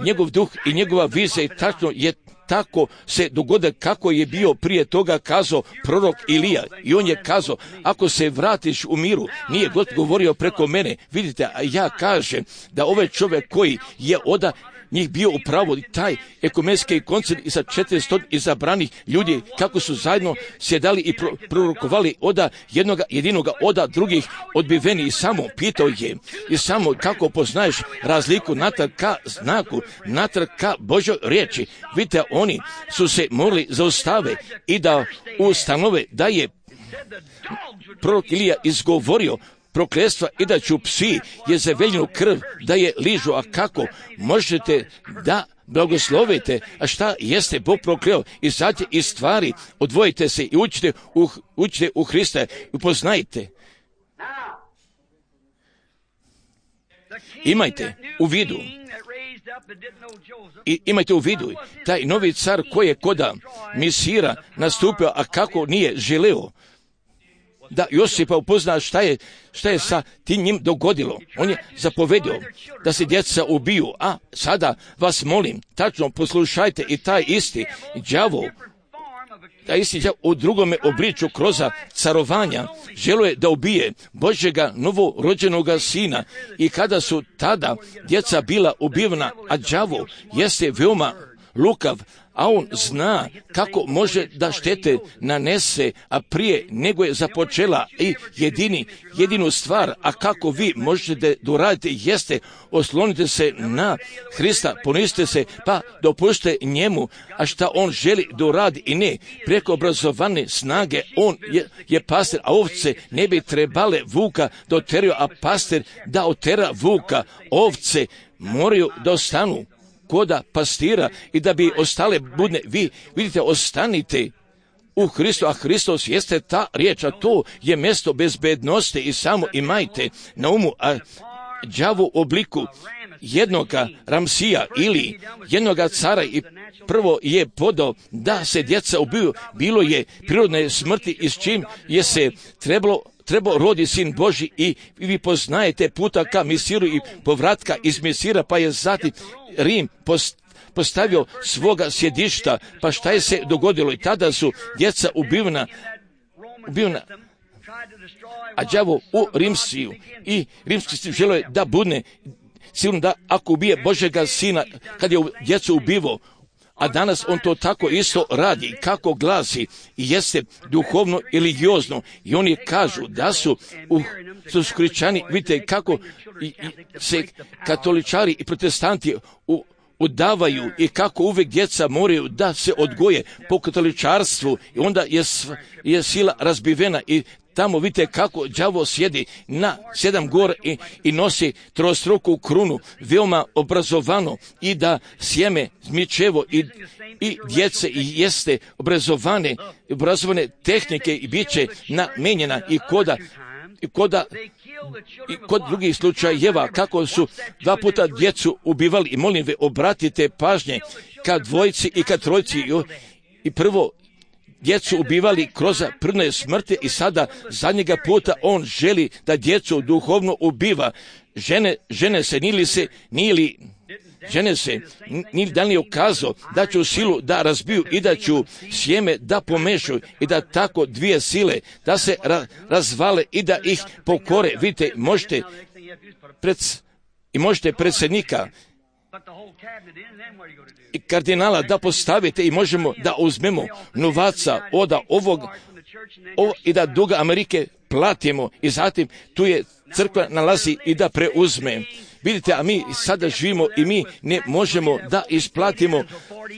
Njegov duh i njegova vizija i tačno je tako se dogode kako je bio prije toga kazao prorok Ilija. I on je kazao, ako se vratiš u miru, nije God govorio preko mene. Vidite, a ja kažem da ovaj čovjek koji je oda njih bio u pravu, taj ekumenski koncil i sa četiristo izabranih ljudi, kako su zajedno sjedali i pro, prorokovali oda jednoga, jedinoga oda drugih odbiveni i samo pitao je i samo kako poznaješ razliku natrag ka znaku, natrag ka Božoj riječi. Vidite, oni su se morali zaustave i da ustanove da je prorok Ilija izgovorio prokletstva i da ću psi Jezeveljinu krv da je ližu, a kako možete da blagoslovite, a šta jeste Bog prokleo, izađite iz stvari, odvojite se i učite u, učite u Hrista i upoznajte. Imajte u vidu i imajte u vidu taj novi car koji je koda Misira nastupio, a kako nije želeo da Josipa upozna šta je, šta je sa tim njim dogodilo. On je zapovedio da se djeca ubiju, a sada vas molim, tačno poslušajte i taj isti đavo, taj isti đavo u drugome obliču kroz carovanja želo je da ubije Božjega novorođenoga sina i kada su tada djeca bila ubivana, a đavo jeste veoma lukav, a on zna kako može da štete nanese, a prije nego je započela i jedini, jedinu stvar, a kako vi možete da uradite jeste oslonite se na Hrista, poniste se, pa dopušte njemu, a šta on želi da uradi i ne, preko obrazovane snage, on je, je pastir, a ovce ne bi trebale vuka da oteraju, a pastir da otera vuka, ovce moraju da ostanu koda pastira i da bi ostale budne. Vi vidite, ostanite u Hristu, a Hristos jeste ta riječ, a to je mjesto bezbednosti i samo imajte na umu, a đavo u obliku jednoga Ramsija ili jednoga cara i prvo je podao da se djeca ubiju, bilo je prirodne smrti i s čim je se trebalo trebao rodi sin Božji i vi poznajete puta ka Misiru i povratka iz Misira, pa je zatim Rim postavio svoga sjedišta, pa šta je se dogodilo i tada su djeca ubivna, ubivna a đavo u Rimsiju i rimski sistem želo je da budne sigurno da ako ubije Božjega sina kad je djecu ubivo, a danas on to tako isto radi, kako glasi i jeste duhovno i religiozno. I oni kažu da su u su hrišćani, vidite kako i, i se katoličari i protestanti u, udavaju i kako uvijek djeca moraju da se odgoje po katoličarstvu i onda je, je sila razbivena i tamo vidite kako đavo sjedi na sedam gora i, i nosi trostruku krunu, veoma obrazovano i da sjeme, zmičevo i, i djece i jeste obrazovane, obrazovane tehnike i bit će namenjena i koda, i koda i kod drugih slučajeva kako su dva puta djecu ubivali i molim ve obratite pažnje kad dvojci i kad trojci i, i prvo djecu ubivali kroz prirodne smrti i sada zadnjega puta on želi da djecu duhovno ubiva. Žene, žene se, nili se, nili, žene se, nili da li je ukazao da ću silu da razbiju i da ću sjeme da pomešaju i da tako dvije sile da se ra, razvale i da ih pokore. Vidite, možete pred, i možete predsjednika i kardinala da postavite i možemo da uzmemo novaca od ovog ovo, i da duga Amerike platimo i zatim tu je crkva nalazi i da preuzme. Vidite, a mi sada živimo i mi ne možemo da isplatimo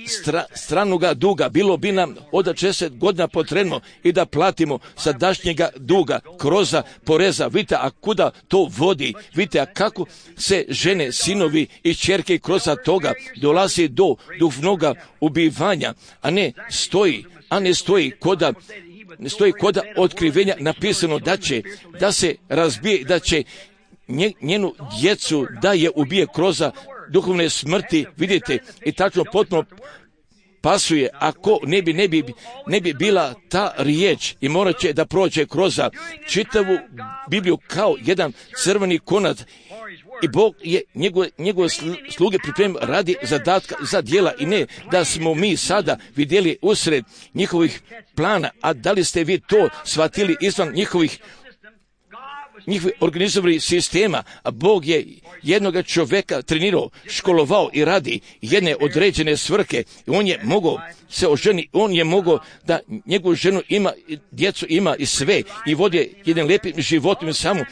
stra, stranoga duga. Bilo bi nam od šezdeset godina potrebno i da platimo sadašnjega duga, kroza poreza. Vidite, a kuda to vodi? Vidite, a kako se žene, sinovi i ćerke kroza toga dolazi do duhovnoga ubivanja, a ne stoji, a ne stoji koda ne stoji koda otkrivenja napisano da će, da se razbije, da će njenu djecu da je ubije kroz duhovne smrti, vidite, i tačno potpuno pasuje, ako ne bi, ne bi, ne bi bila ta riječ i morat će da prođe kroz čitavu Bibliju kao jedan crveni konac i Bog je njegove, njegove sluge pripremio radi zadatka za djela i ne da smo mi sada vidjeli usred njihovih plana, a da li ste vi to shvatili izvan njihovih njihovih organizovanih sistema, a Bog je jednoga čovjeka trenirao, školovao i radi jedne određene svrhe i on je mogao se oženi, on je mogao da njegovu ženu ima, djecu ima i sve i vodi jednim lijepim životom i samo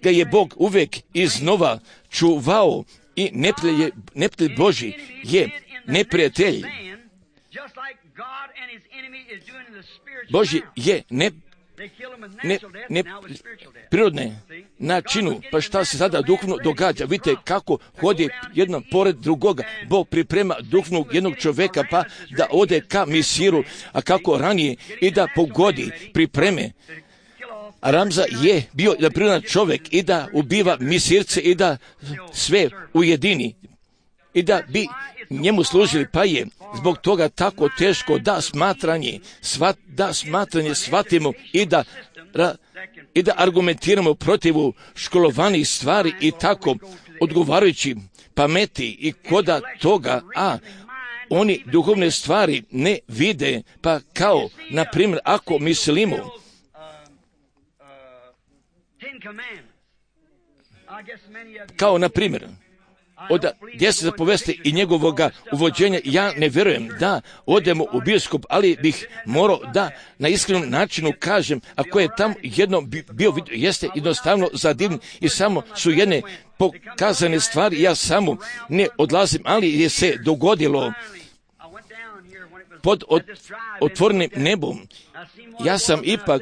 ga je Bog uvijek iznova čuvao i neprijatelj, neprijatelj Božji je neprijatelj. Božji je ne Ne, ne prirodne načinu, pa šta se sada duhovno događa. Vidite kako hodi jedno pored drugoga. Bog priprema duhovnog jednog čovjeka pa da ode ka Misiru, a kako ranije i da pogodi pripreme. A Ramza je bio da prirodan čovjek i da ubiva Misirce i da sve ujedini i da bi njemu služili, pa je zbog toga tako teško da smatranje, svat, da smatranje shvatimo i da, ra, i da argumentiramo protivu školovanih stvari i tako odgovarajući pameti i koda toga, a oni duhovne stvari ne vide, pa kao, na primjer, ako mislimo kao, na primjer, od deset zapovesti i njegovoga uvođenja, ja ne vjerujem da odemo u biskup, ali bih morao da na iskrenom načinu kažem, ako je tam jedno bio, jeste jednostavno zadivljen i samo su jedne pokazane stvari, ja samo ne odlazim, ali je se dogodilo pod od, otvorenim nebom. Ja sam ipak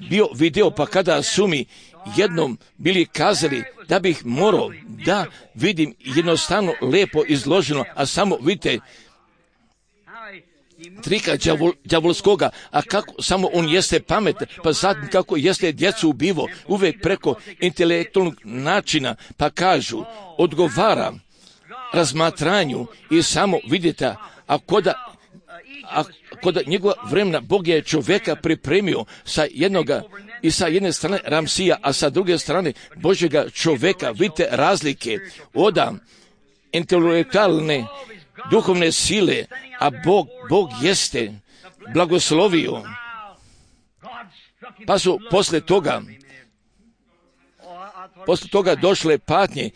bio video, pa kada su mi jednom bili kazali da bih morao da vidim jednostavno lepo izloženo, a samo vidite trika đavol, đavolskoga, a kako samo on jeste pametan, pa zatim kako jeste djecu ubivo, uvijek preko intelektualnog načina, pa kažu, odgovara razmatranju i samo vidite, a koda a kod njegova vremena Bog je čovjeka pripremio sa jednoga i sa jedne strane Ramsija, a sa druge strane Božjega čovjeka. Vidite razlike od intelektualne duhovne sile, a Bog, Bog jeste blagoslovio. Pa su posle toga posle toga došle patnje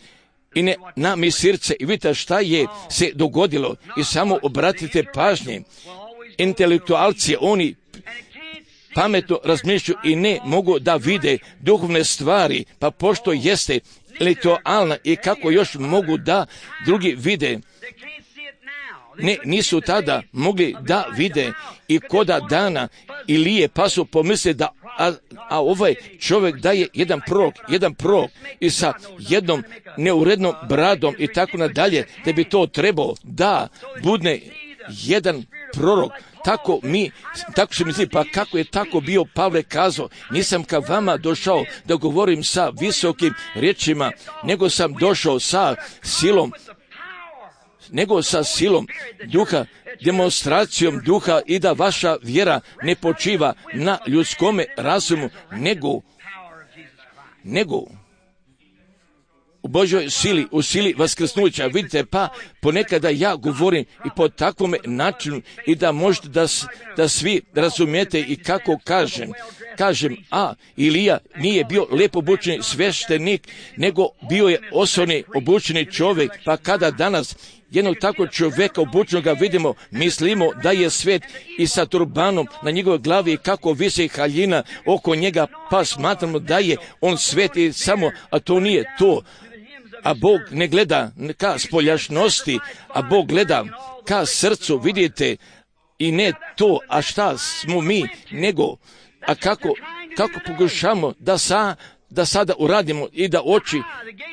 i ne na Misirce i vidite šta je se dogodilo i samo obratite pažnje. Intelektualci, oni pametno razmišljaju i ne mogu da vide duhovne stvari, pa pošto jeste intelektualna i kako još mogu da drugi vide, ne, nisu tada mogli da vide i koda dana Ilije, pa su pomisli da a, a ovaj čovjek da je jedan prorok, jedan prorok i sa jednom neurednom bradom i tako nadalje, da bi to trebao da budne jedan prorok. Tako mi, tako se misli, pa kako je tako bio Pavle kazao, nisam ka vama došao da govorim sa visokim riječima, nego sam došao sa silom, nego sa silom duha, demonstracijom duha i da vaša vjera ne počiva na ljudskome razumu, nego, nego u Božoj sili, u sili vaskrsnuća. Vidite, pa ponekada ja govorim i po takvom načinu i da možete da, da svi razumijete i kako kažem. Kažem, a Ilija nije bio lepo obučeni sveštenik, nego bio je osobni obučeni čovjek, pa kada danas jednog takvog čovjeka obučenoga vidimo, mislimo da je svet i sa turbanom na njegovoj glavi kako visi haljina oko njega, pa smatramo da je on svet i samo, a to nije to. A Bog ne gleda ka spoljašnosti, a Bog gleda ka srcu, vidite, i ne to, a šta smo mi, nego, a kako, kako pokušamo da sa, da sada uradimo i da oči,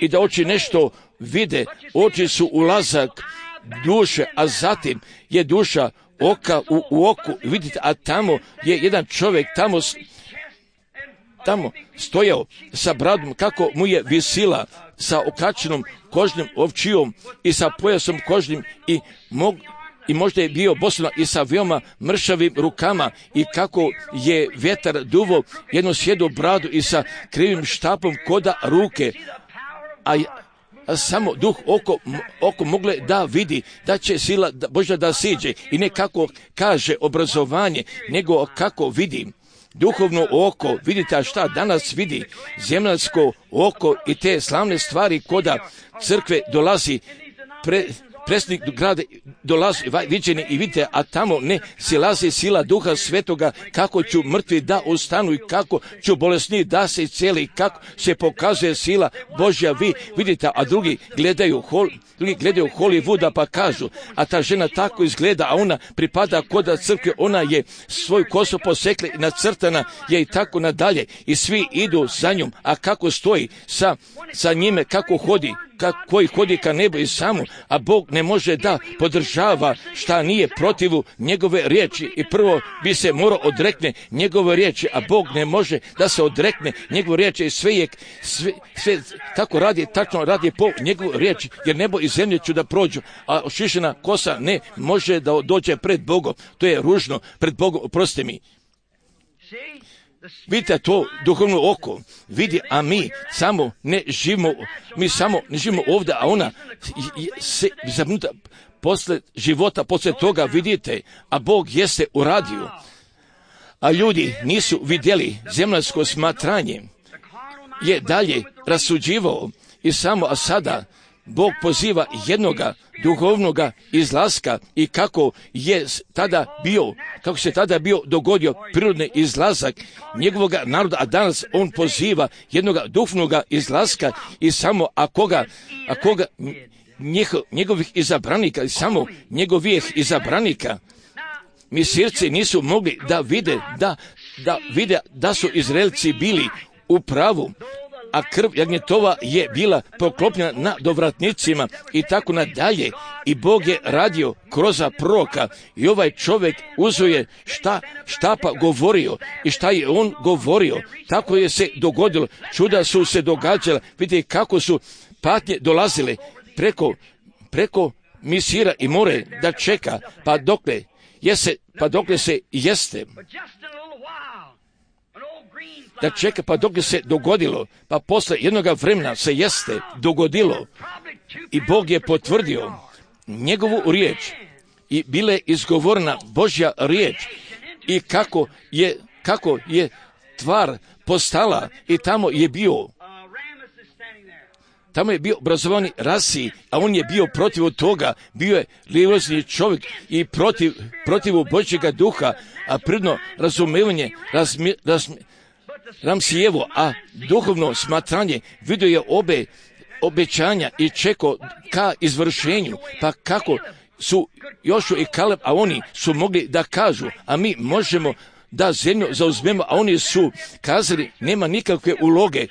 i da oči nešto vide. Oči su ulazak duše, a zatim je duša oka u, u oku, vidite, a tamo je jedan čovjek, tamo, tamo stojao sa bradom, kako mu je visila sa okačenom kožnim ovčijom i sa pojasom kožnim i mog, i možda je bio bosan i sa veoma mršavim rukama i kako je vjetar duvo jednu sjedu bradu i sa krivim štapom koda ruke, a, a samo duh oko, oko mogle da vidi da će sila Božja da siđe i ne kako kaže obrazovanje, nego kako vidi. Duhovno oko, vidite, a šta danas vidi? Zemljansko oko i te slavne stvari koda crkve dolazi pre, predsjednik grada dolazi viđeni i vidite, a tamo ne silazi sila Duha Svetoga, kako ću mrtvi da ustanu i kako ću bolesni da se cijeli, kako se pokazuje sila Božja. Vi vidite, a drugi gledaju, hol, drugi gledaju Hollywooda pa kažu, a ta žena tako izgleda, a ona pripada koda crkve, ona je svoju kosu posekla i nacrtana je i tako nadalje i svi idu za njom, a kako stoji sa, sa njime, kako hodi, koji hodi ka nebu i samo, a Bog ne može da podržava šta nije protivu njegove riječi i prvo bi se morao odrekne njegove riječi, a Bog ne može da se odrekne njegove riječi i sve je, sve, sve tako radi, tačno radi po njegovu riječi, jer nebo i zemlje ću da prođu, a ošišena kosa ne može da dođe pred Bogom. To je ružno pred Bogom, oprosti mi. Vidite, to duhovno oko vidi, a mi samo ne živimo, mi samo ne živimo ovdje, a ona se zabrinuta posle života, posle toga vidite, a Bog jeste uradio. A ljudi nisu vidjeli, zemljansko smatranje je dalje rasuđivao i samo, a sada Bog poziva jednoga duhovnoga izlaska i kako je tada bio, kako se tada bio dogodio prirodni izlazak njegovoga naroda, a danas on poziva jednoga duhovnoga izlaska i samo a koga, a koga njihov, njegovih izabranika i samo njegovih izabranika. Misirci nisu mogli da vide da, da vide da su Izraelci bili u pravu, a krv jagnjetova je bila poklopljena na dovratnicima i tako nadalje. I Bog je radio kroz proroka i ovaj čovjek uzuje šta štapa govorio i šta je on govorio. Tako je se dogodilo. Čuda su se događala. Vidite kako su patnje dolazile preko, preko Misira i more da čeka pa dokle, jese, pa dokle se jeste. Da čeka pa dok se dogodilo, pa posle jednoga vremena se jeste dogodilo i Bog je potvrdio njegovu riječ i bila je izgovorena Božja riječ i kako je, kako je tvar postala i tamo je bio tamo je bio obrazovani Rasi, a on je bio protiv toga, bio je religiozni čovjek i protiv, protiv Božjega duha, a prirodno razumevanje razmi, razmi, Ramsijevo, a duhovno smatranje vidio je obe obećanja i čekao ka izvršenju, pa kako su Jošua i Kaleb, a oni su mogli da kažu, a mi možemo da zemlju zauzmemo, a oni su kazali nema nikakve uloge,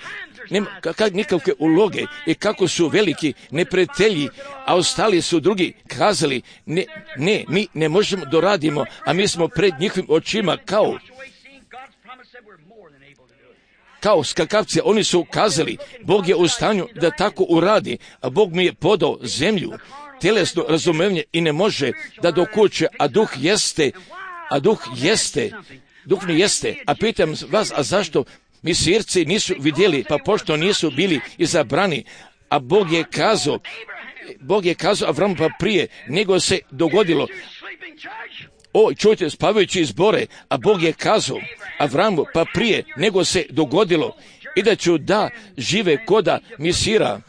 nema kak, nikakve uloge i kako su veliki neprijatelji, a ostali su drugi kazali ne, ne, mi ne možemo doradimo, a mi smo pred njihovim očima kao kao skakavci, oni su kazali, Bog je u stanju da tako uradi, a Bog mi je podao zemlju, tjelesno razumevanje i ne može da dokuće, a duh jeste, a duh jeste, duh ne jeste, a pitam vas, a zašto Misirci nisu vidjeli, pa pošto nisu bili izabrani, a Bog je kazao, Bog je kazao Avramu pa prije, nego se dogodilo, o, čujte, spavajući zbore, a Bog je kazao Avramu pa prije nego se dogodilo i da ću da žive koda Misira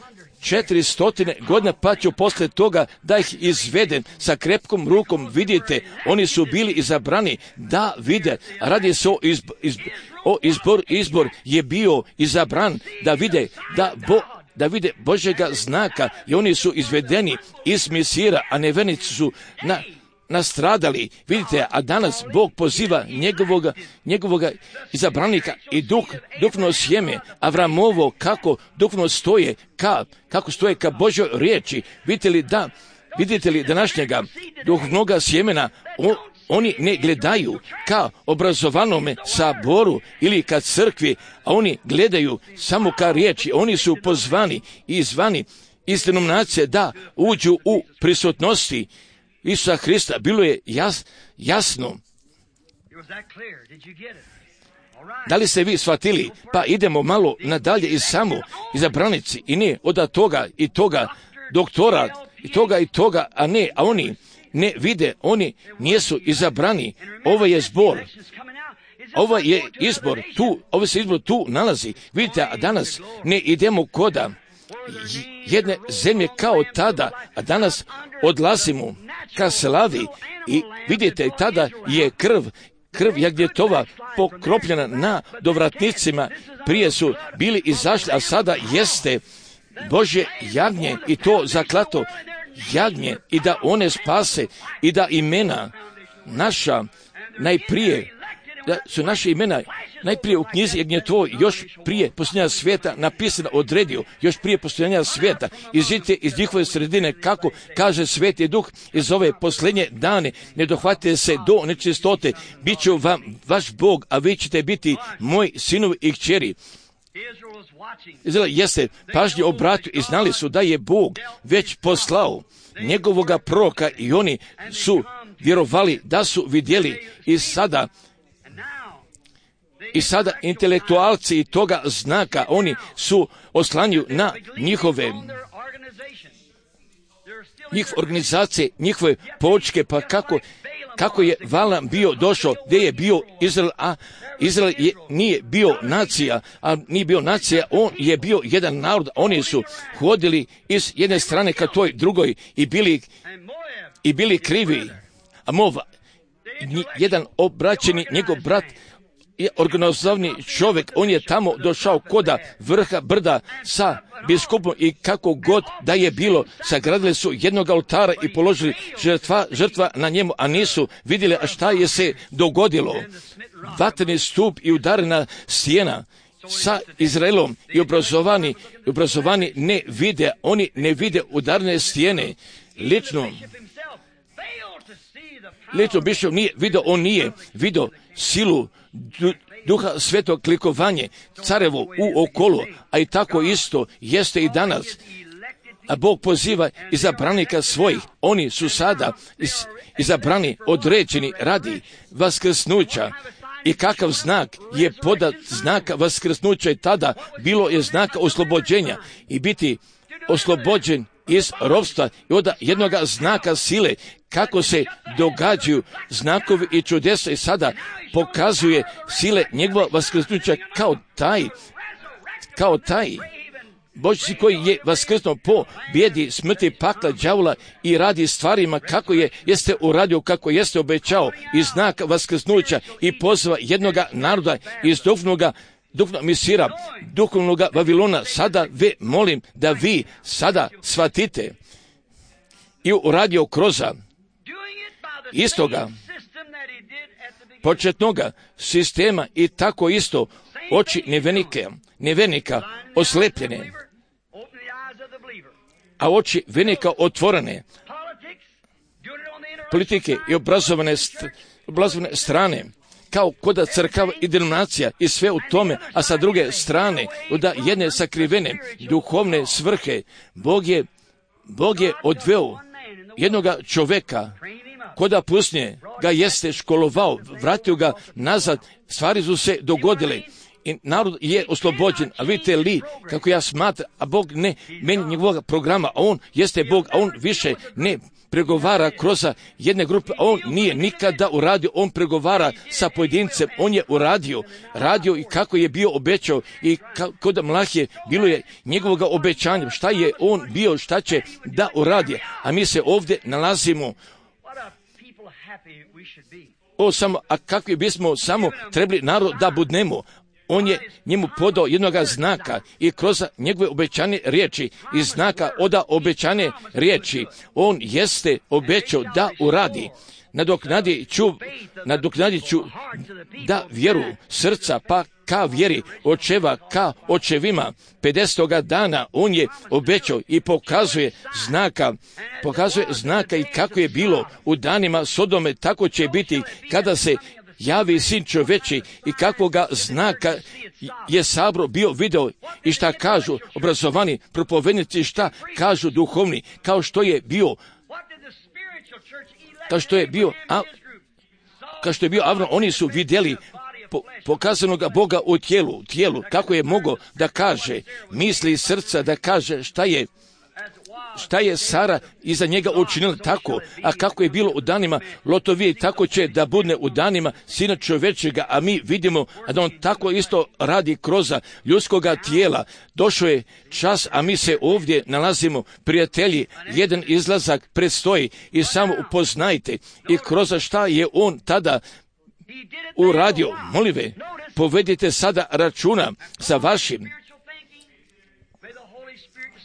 četiri stotine godina, pa ću poslije toga da ih izvedem sa krepkom rukom. Vidite, oni su bili izabrani da vide. Radi se o, izb, izb, o izbor, izbor je bio izabran da vide, da Bo, da vide Božjega znaka i oni su izvedeni iz Misira, a nevjernici su na nastradali. Vidite, a danas Bog poziva njegovoga, njegovoga izabranika i duh, duhovno sjeme Avramovo, kako duhovno stoje, ka, kako stoje ka Božjoj riječi. Vidite li da, vidite li današnjega duhovnoga sjemena, o, oni ne gledaju ka obrazovanome saboru ili ka crkvi, a oni gledaju samo ka riječi. Oni su pozvani i zvani iz denominacije da uđu u prisutnosti Isusa Hrista. Bilo je jas, jasno. Da li ste vi shvatili? Pa idemo malo nadalje i samo izabranici i ne od toga i toga doktora i toga i toga, a ne, a oni ne vide, oni nisu izabrani. Ovo je zbor. Ovo je izbor tu, ovo se izbor tu nalazi. Vidite, a danas ne idemo koda jedne zemlje kao tada, a danas odlazimo ka slavi i vidite, tada je krv, krv Jagnjetova pokropljena na dovratnicima. Prije su bili izašli, a sada jeste Božje jagnje i to zaklato jagnje i da one spase i da imena naša najprije, da su naše imena najprije u knjizi Jagnjetovoj još prije postojanja svijeta napisano, odredio, još prije postojanja svijeta. Izidite iz njihove sredine, kako kaže Sveti Duh, iz ove posljednje dane, ne dohvatite se do nečistote, bit ću vam vaš Bog, a vi ćete biti moji sinovi i kćeri. Izrael jeste pažnje obratio i znali su da je Bog već poslao njegovoga proroka i oni su vjerovali da su vidjeli i sada I sada intelektualci toga znaka, oni su oslanju na njihove njihove organizacije, njihove poučke, pa kako, kako je Valam bio došao, gdje je bio Izrael, a Izrael je, nije bio nacija, a nije bio nacija, on je bio jedan narod, oni su hodili iz jedne strane ka toj drugoj i bili, i bili krivi, a Mova, jedan obraćeni, njegov brat, je organizovani čovjek, on je tamo došao koda vrha brda sa biskupom i kako god da je bilo, sagradili su jednog oltara i položili žrtva, žrtva na njemu, a nisu vidjeli a šta je se dogodilo. Vatreni stup i udarena stijena sa Izraelom i obrazovani, i obrazovani ne vide, oni ne vide udarne stijene. Lično, lično bišov nije vidio, on nije vidio silu Duha Svetog, klikovanje carevo u okolo, a i tako isto jeste i danas. A Bog poziva izabranika svojih, oni su sada iz, izabrani, određeni radi vaskrsnuća. I kakav znak je podat znaka vaskrsnuća i tada bilo je znaka oslobođenja i biti oslobođen iz ropstva i od jednoga znaka sile, kako se događaju znakovi i čudesa i sada pokazuje sile njegova vaskrsnuća kao taj, kao taj Božji koji je vaskrsnuo po bijedi smrti pakla đavola i radi stvarima kako je jeste uradio, kako jeste obećao i znak vaskrsnuća i pozva jednoga naroda iz duhovnoga duhovnog Misira, duhovnog Vavilona. Sada ve molim da vi sada shvatite i uradio kroza istoga početnoga sistema i tako isto oči nevenike, nevenika oslepljene, a oči venika otvorene, politike i obrazovane, st- obrazovane strane, kao koda crkava i denominacija i sve u tome, a sa druge strane, da jedne sakrivene duhovne svrhe, Bog je, Bog je odveo jednoga čoveka, koda pusnje ga jeste školovao, vratio ga nazad, stvari su se dogodile i narod je oslobođen. A vidite li kako ja smatram, a Bog ne meni njegovog programa, a on jeste Bog, a on više ne pregovara kroz jedne grupe, a on nije nikada uradio, on pregovara sa pojedincem, on je uradio, radio i kako je bio obećao i kod Mlahije bilo je njegovog obećanja, šta je on bio, šta će da uradi, a mi se ovdje nalazimo. O, samo, a kakvi bismo samo trebali narod da budnemo. On je njemu podao jednoga znaka i kroz njegove obećane riječi i znaka oda obećane riječi on jeste obećao da uradi. Nadoknadit ću, nadoknadit ću da vjeru srca pa ka vjeri očeva ka očevima. pedesetoga dana on je obećao i pokazuje znaka, pokazuje znaka i kako je bilo u danima Sodome, tako će biti kada se javi sin čoveči i kakvoga znaka je Sabro bio video i šta kažu obrazovani propovednici, šta kažu duhovni, kao što je bio kao što je bio a, kao što je bio Avram, oni su vidjeli po, pokazanog Boga u tijelu, tijelu, kako je mogao da kaže misli srca, da kaže šta je šta je Sara iza njega učinila tako, a kako je bilo u danima Lotovije, tako će da bude u danima Sina čovječega, a mi vidimo da on tako isto radi kroz ljudskoga tijela. Došao je čas, a mi se ovdje nalazimo, prijatelji, jedan izlazak predstoji i samo upoznajte i kroz šta je on tada uradio. Molive, povedite sada računa sa vašim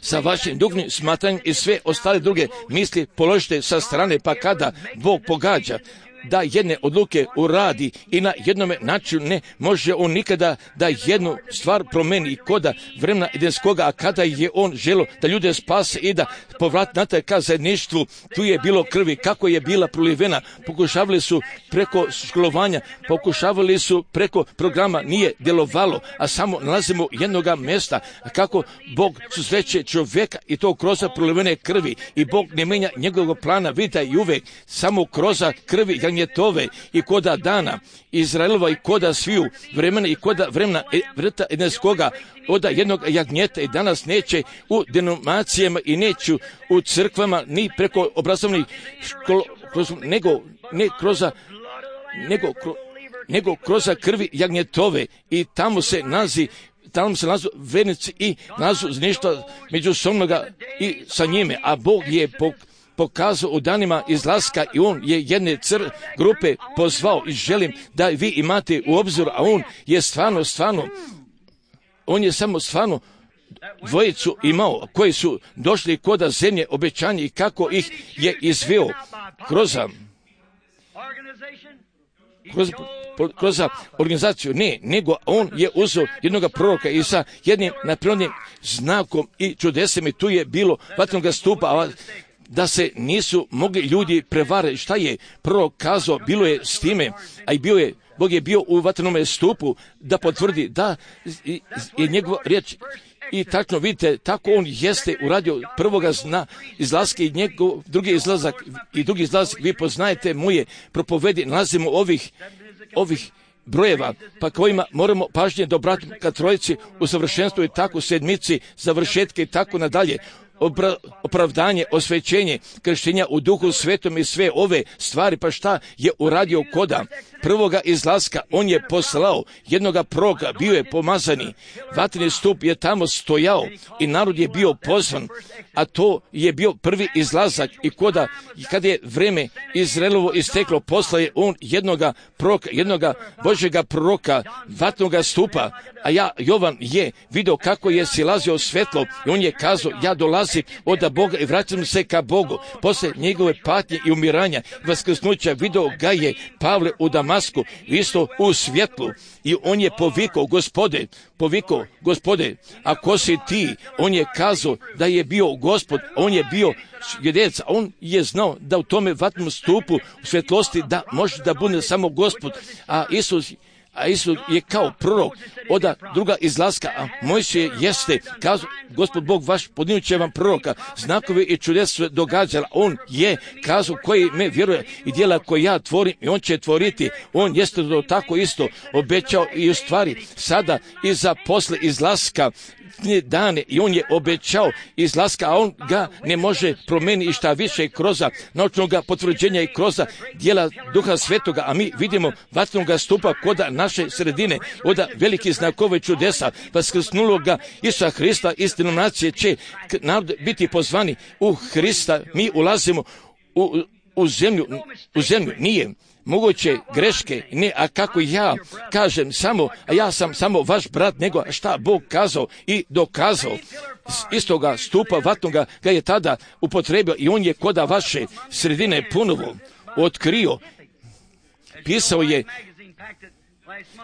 sa vašim duhovnim smatranjem i sve ostale druge misli položite sa strane, pa kada Bog pogađa da jedne odluke uradi i na jednome načinu ne može on nikada da jednu stvar promeni i koda vremena edenskoga, a kada je on želio da ljude spase i da povrati natrag ka zajedništvu, tu je bilo krvi, kako je bila prolivena, pokušavali su preko školovanja, pokušavali su preko programa, nije djelovalo, a samo nalazimo jednoga mjesta, kako Bog susreće čovjeka i to kroz prolivene krvi i Bog ne menja njegovog plana, vidite i uvek samo kroz krvi jagnjetove i koda dana Izraelova i koda sviju vremena i koda vremena vrta edenskoga oda jednog jagnjeta i danas neće u denominacijama i neću u crkvama ni preko obrazovnih škola, nego ne kroz nego, kro, nego kroz krvi jagnjetove i tamo se nalazi tamo se nalazu vernici i nalazu nešto međusobnoga i sa njime, a Bog je po pokazao u danima izlaska i on je jedne cr grupe pozvao i želim da vi imate u obziru, a on je stvarno, stvarno, on je samo stvarno dvojicu imao koji su došli koda zemlje obećanja i kako ih je izveo kroz kroz, kroz organizaciju, ne, nego on je uzeo jednog proroka i sa jednim naprirodnim znakom i čudesem i tu je bilo vatrenog stupa, a da se nisu mogli ljudi prevariti. Šta je prorok kazao, bilo je s time, a i bio je, Bog je bio u vatrenome stupu da potvrdi da je njegova riječ. I tako vidite, tako on jeste uradio prvoga zna izlaska i njegov drugi izlazak i drugi izlazak. Vi poznajete moje propovedi, nalazimo ovih, ovih brojeva, pa kojima moramo pažnje da obratimo ka trojici u savršenstvu i tako sedmici, završetke i tako nadalje. Obra, opravdanje, osvećenje, krštenja u duhu svetom i sve ove stvari, pa šta je uradio koda prvoga izlaska, on je poslao jednoga proroka, bio je pomazani, vatreni stup je tamo stojao i narod je bio pozvan, a to je bio prvi izlazak i koda, kada je vreme Izraelovo isteklo, poslao je on jednoga proroka, jednoga Božjega proroka, vatnoga stupa, a ja, Jovan, je vidio kako je silazio svetlo i on je kazao, ja dolazim od Boga i vraćam se ka Bogu. Posle njegove patnje i umiranja, vaskrsnuća, vidio ga je Pavle u Damasku, isto u svjetlu. I on je povikao, Gospode, povikao, Gospode, a ko si ti? On je kazao da je bio Gospod, on je bio svjedec, a on je znao da u tome vatnom stupu, u svjetlosti, da može da bude samo Gospod, a Isus a Isus je kao prorok od druga izlaska, a Mojsije jeste, kazao, Gospod Bog vaš podinut će vam proroka, znakovi i čudesa događala, on je kazao koji me vjeruje i djela koje ja tvorim i on će tvoriti, on jeste to tako isto obećao i u stvari sada i za posle izlaska dane i on je obećao izlaska, a on ga ne može promijeniti i šta više kroz naučnog potvrđenja i kroz djela Duha Svetoga, a mi vidimo vatrenog stupa kod naše sredine, od veliki znakove čudesa, vaskrsnuloga Isusa Hrista, istinu nacije će biti pozvani u Hrista, mi ulazimo u, u zemlju, u zemlju, nije moguće greške, ne, a kako ja kažem samo, a ja sam samo vaš brat, nego šta Bog kazao i dokazao. Istoga stupa vatnoga ga je tada upotrebio i on je koda vaše sredine ponovo otkrio. Pisao je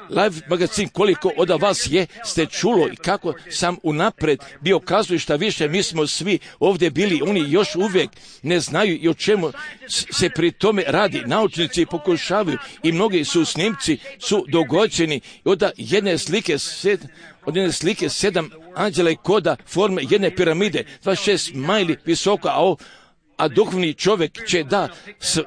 Live magazin koliko od vas je ste čulo i kako sam unapred bio kazao šta više, mi smo svi ovdje bili, oni još uvijek ne znaju i o čemu se pri tome radi. Naučnici pokušavaju i mnogi su snimci su dogođeni od jedne slike sed, od jedne slike sedam anđela i koda forme jedne piramide, dvadeset šest majli visoko, a, a duhovni čovjek će da s,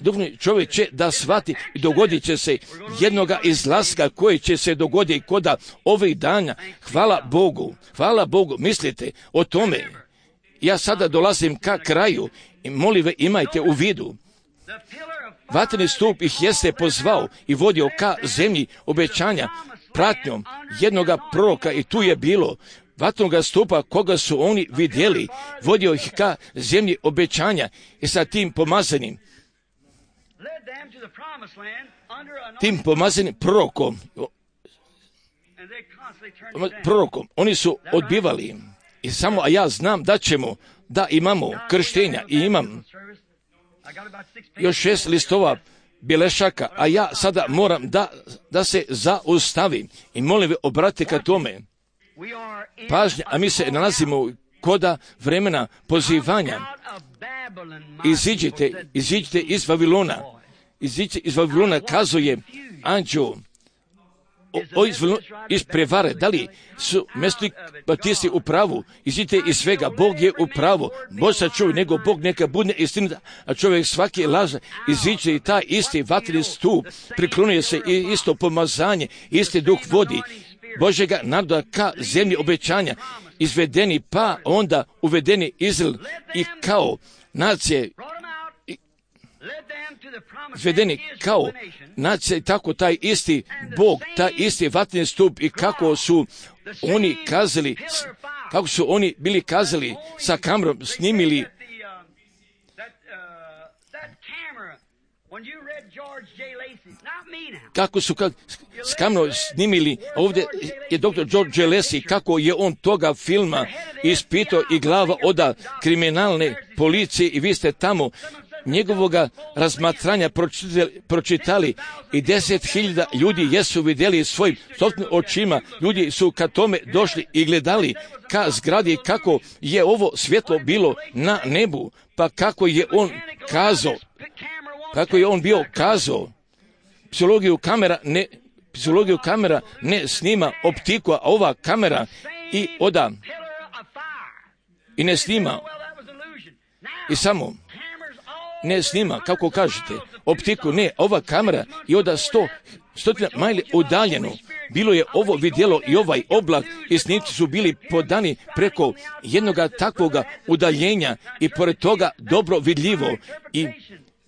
duhovni čovjek će da shvati i dogodit će se jednoga izlaska koji će se dogoditi koda ovih dana. Hvala Bogu, hvala Bogu, mislite o tome. Ja sada dolazim ka kraju i molim ve imajte u vidu. Vatreni stup ih jeste pozvao i vodio ka zemlji obećanja pratnjom jednoga proroka i tu je bilo vatnoga stupa koga su oni vidjeli, vodio ih ka zemlji obećanja i sa tim pomazanim tim pomazanim prorokom, prorokom, oni su odbivali i samo, a ja znam da ćemo, da imamo krštenja i imam još šest listova bilešaka, a ja sada moram da, da se zaustavim i molim ve obratite ka tome pažnja, a mi se nalazimo koda vremena pozivanja. Iziđite, iziđite iz Vavilona. Iziđite iz Vavilona, kazuje anđeo o, o iz, iz prevare. Da li su mjesni baptisti u pravu? Iziđite iz svega, Bog je u pravu. Bož sačuvaj, nego Bog neka bude istinita, a čovjek svaki laže. Iziđite i taj isti vatreni stup, priklonuje se i isto pomazanje, isti duh vodi Božjega naroda ka zemlji obećanja, izvedeni pa onda uvedeni Izrael i kao nacije, izvedeni kao nacije, tako taj isti Bog, taj isti vatreni stup i kako su oni kazali, kako su oni bili kazali sa kamerom, snimili kako su kad, s kamerom snimili, ovdje je doktor George J. Lacy, kako je on toga filma ispitao i glava oda kriminalne policije i vi ste tamo njegovoga razmatranja pročitali, pročitali i deset hiljada ljudi jesu vidjeli svojim sobstvenim očima, ljudi su ka tome došli i gledali ka zgradi kako je ovo svjetlo bilo na nebu, pa kako je on kazao, kako je on bio kazao, psihologiju kamera ne, psihologiju kamera ne snima optiku, a ova kamera i oda i ne snima i samo ne snima, kako kažete, optiku, ne, ova kamera i oda sto, stotina majli udaljeno. Bilo je ovo vidjelo i ovaj oblak i snimci su bili podani preko jednoga takvoga udaljenja i pored toga dobro vidljivo i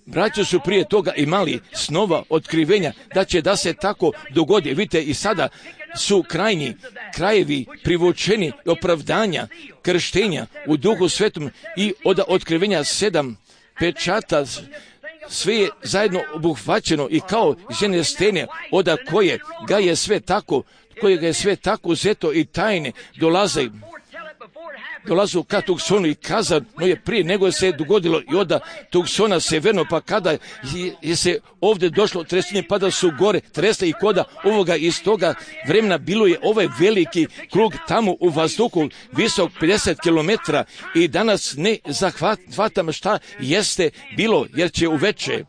braća su prije toga imali snova otkrivenja da će da se tako dogodi. Vidite i sada su krajnji krajevi privučeni opravdanja, krštenja u Duhu Svetom i od otkrivenja sedam pečata, sve je zajedno obuhvaćeno i kao žene stene oda koje ga je sve tako, koje ga je sve tako uzeto i tajne dolaze dolazu ka Tucsonu i kazano je prije nego se je dogodilo i od Tucsona severno, pa kada je, je se ovdje došlo tresenje, pa da su gore tresle i koda ovoga iz toga vremena bilo je ovaj veliki krug tamo u vazduhu visok pedeset kilometara i danas ne zahvatam šta jeste bilo jer će uveče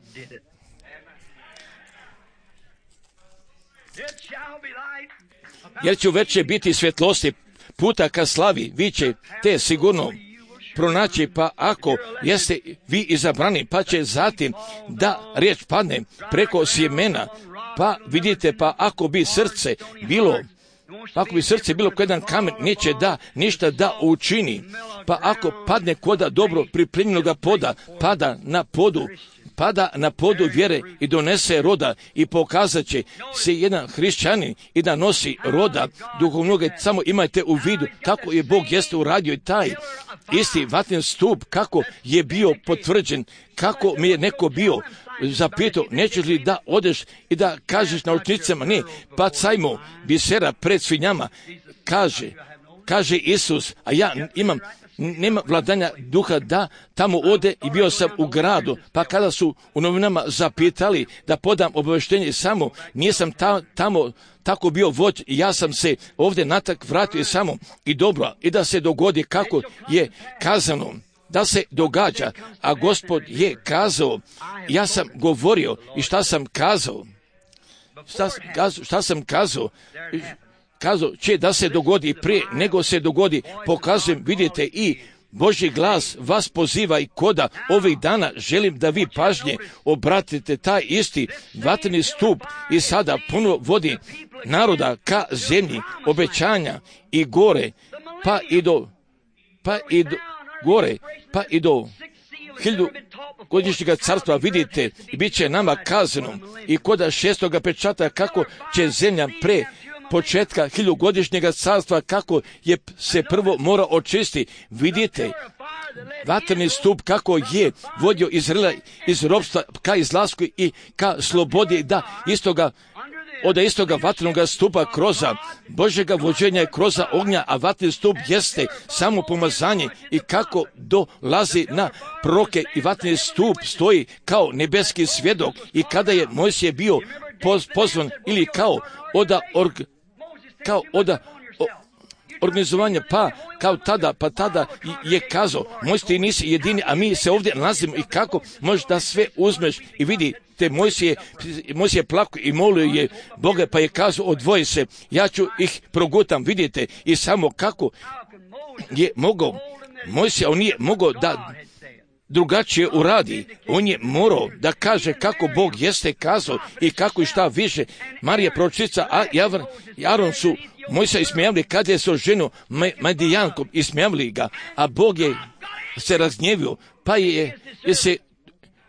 jer će veće biti svjetlosti puta ka slavi, vi ćete sigurno pronaći, pa ako jeste vi izabrani, pa će zatim da riječ padne preko sjemena, pa vidite, pa ako bi srce bilo, pa ako bi srce bilo ko jedan kamen, neće da ništa da učini, pa ako padne koda dobro pripremljenoga poda, pada na podu, pada na podu vjere i donese roda i pokazat će se jedan hrišćanin i da nosi roda duhovnoga. Samo imajte u vidu kako je Bog jeste uradio i taj isti vatren stup, kako je bio potvrđen, kako mi je neko bio zapitao, nećeš li da odeš i da kažeš naučnicama, ne, bacajmo bisera pred svinjama, kaže, kaže Isus, a ja imam nema vladanja duha da tamo ode i bio sam u gradu, pa kada su u novinama zapitali da podam obavještenje, samo nisam ta, tamo tako bio vođ i ja sam se ovdje natak vratio samo i dobro, i da se dogodi kako je kazano, da se događa, a Gospod je kazao, ja sam govorio i šta sam kazao, šta, šta sam kazao, kazao će da se dogodi prije nego se dogodi, pokazujem, vidite, i Božji glas vas poziva i koda ovih dana želim da vi pažnje obratite taj isti vatreni stup i sada puno vodi naroda ka zemlji obećanja i gore, pa i do, pa i do, gore, pa i do hilju godišnjega carstva, vidite, i bit će nama kazano i koda šestoga pečata kako će zemlja pre početka hiljugodišnjega carstva, kako je se prvo mora očisti. Vidite, vatreni stup kako je vodio Izraela iz ropstva ka izlasku i ka slobodi, da istoga, od istoga vatrenog stupa kroza Božjega vođenja i kroza ognja, a vatreni stup jeste samo pomazanje i kako dolazi na proroke i vatreni stup stoji kao nebeski svjedok i kada je Mojsije bio pozvan ili kao oda org, kao oda o, organizovanja, pa kao tada, pa tada je kazao, Mojsije nisi jedini, a mi se ovdje nalazimo i kako možeš da sve uzmeš i vidite, Mojsije, Mojsije plako i molio je Boga, pa je kazao, odvoji se, ja ću ih progutam, vidite, i samo kako je mogao, Mojsije, on nije mogao da drugačije uradi, on je morao da kaže kako Bog jeste kazao i kako i šta više. Marija proročica, a Aron su Mojsija ismijavili kad je se ženu Madijankom, ismijavili ga, a Bog je se razgnjevio, pa je, je se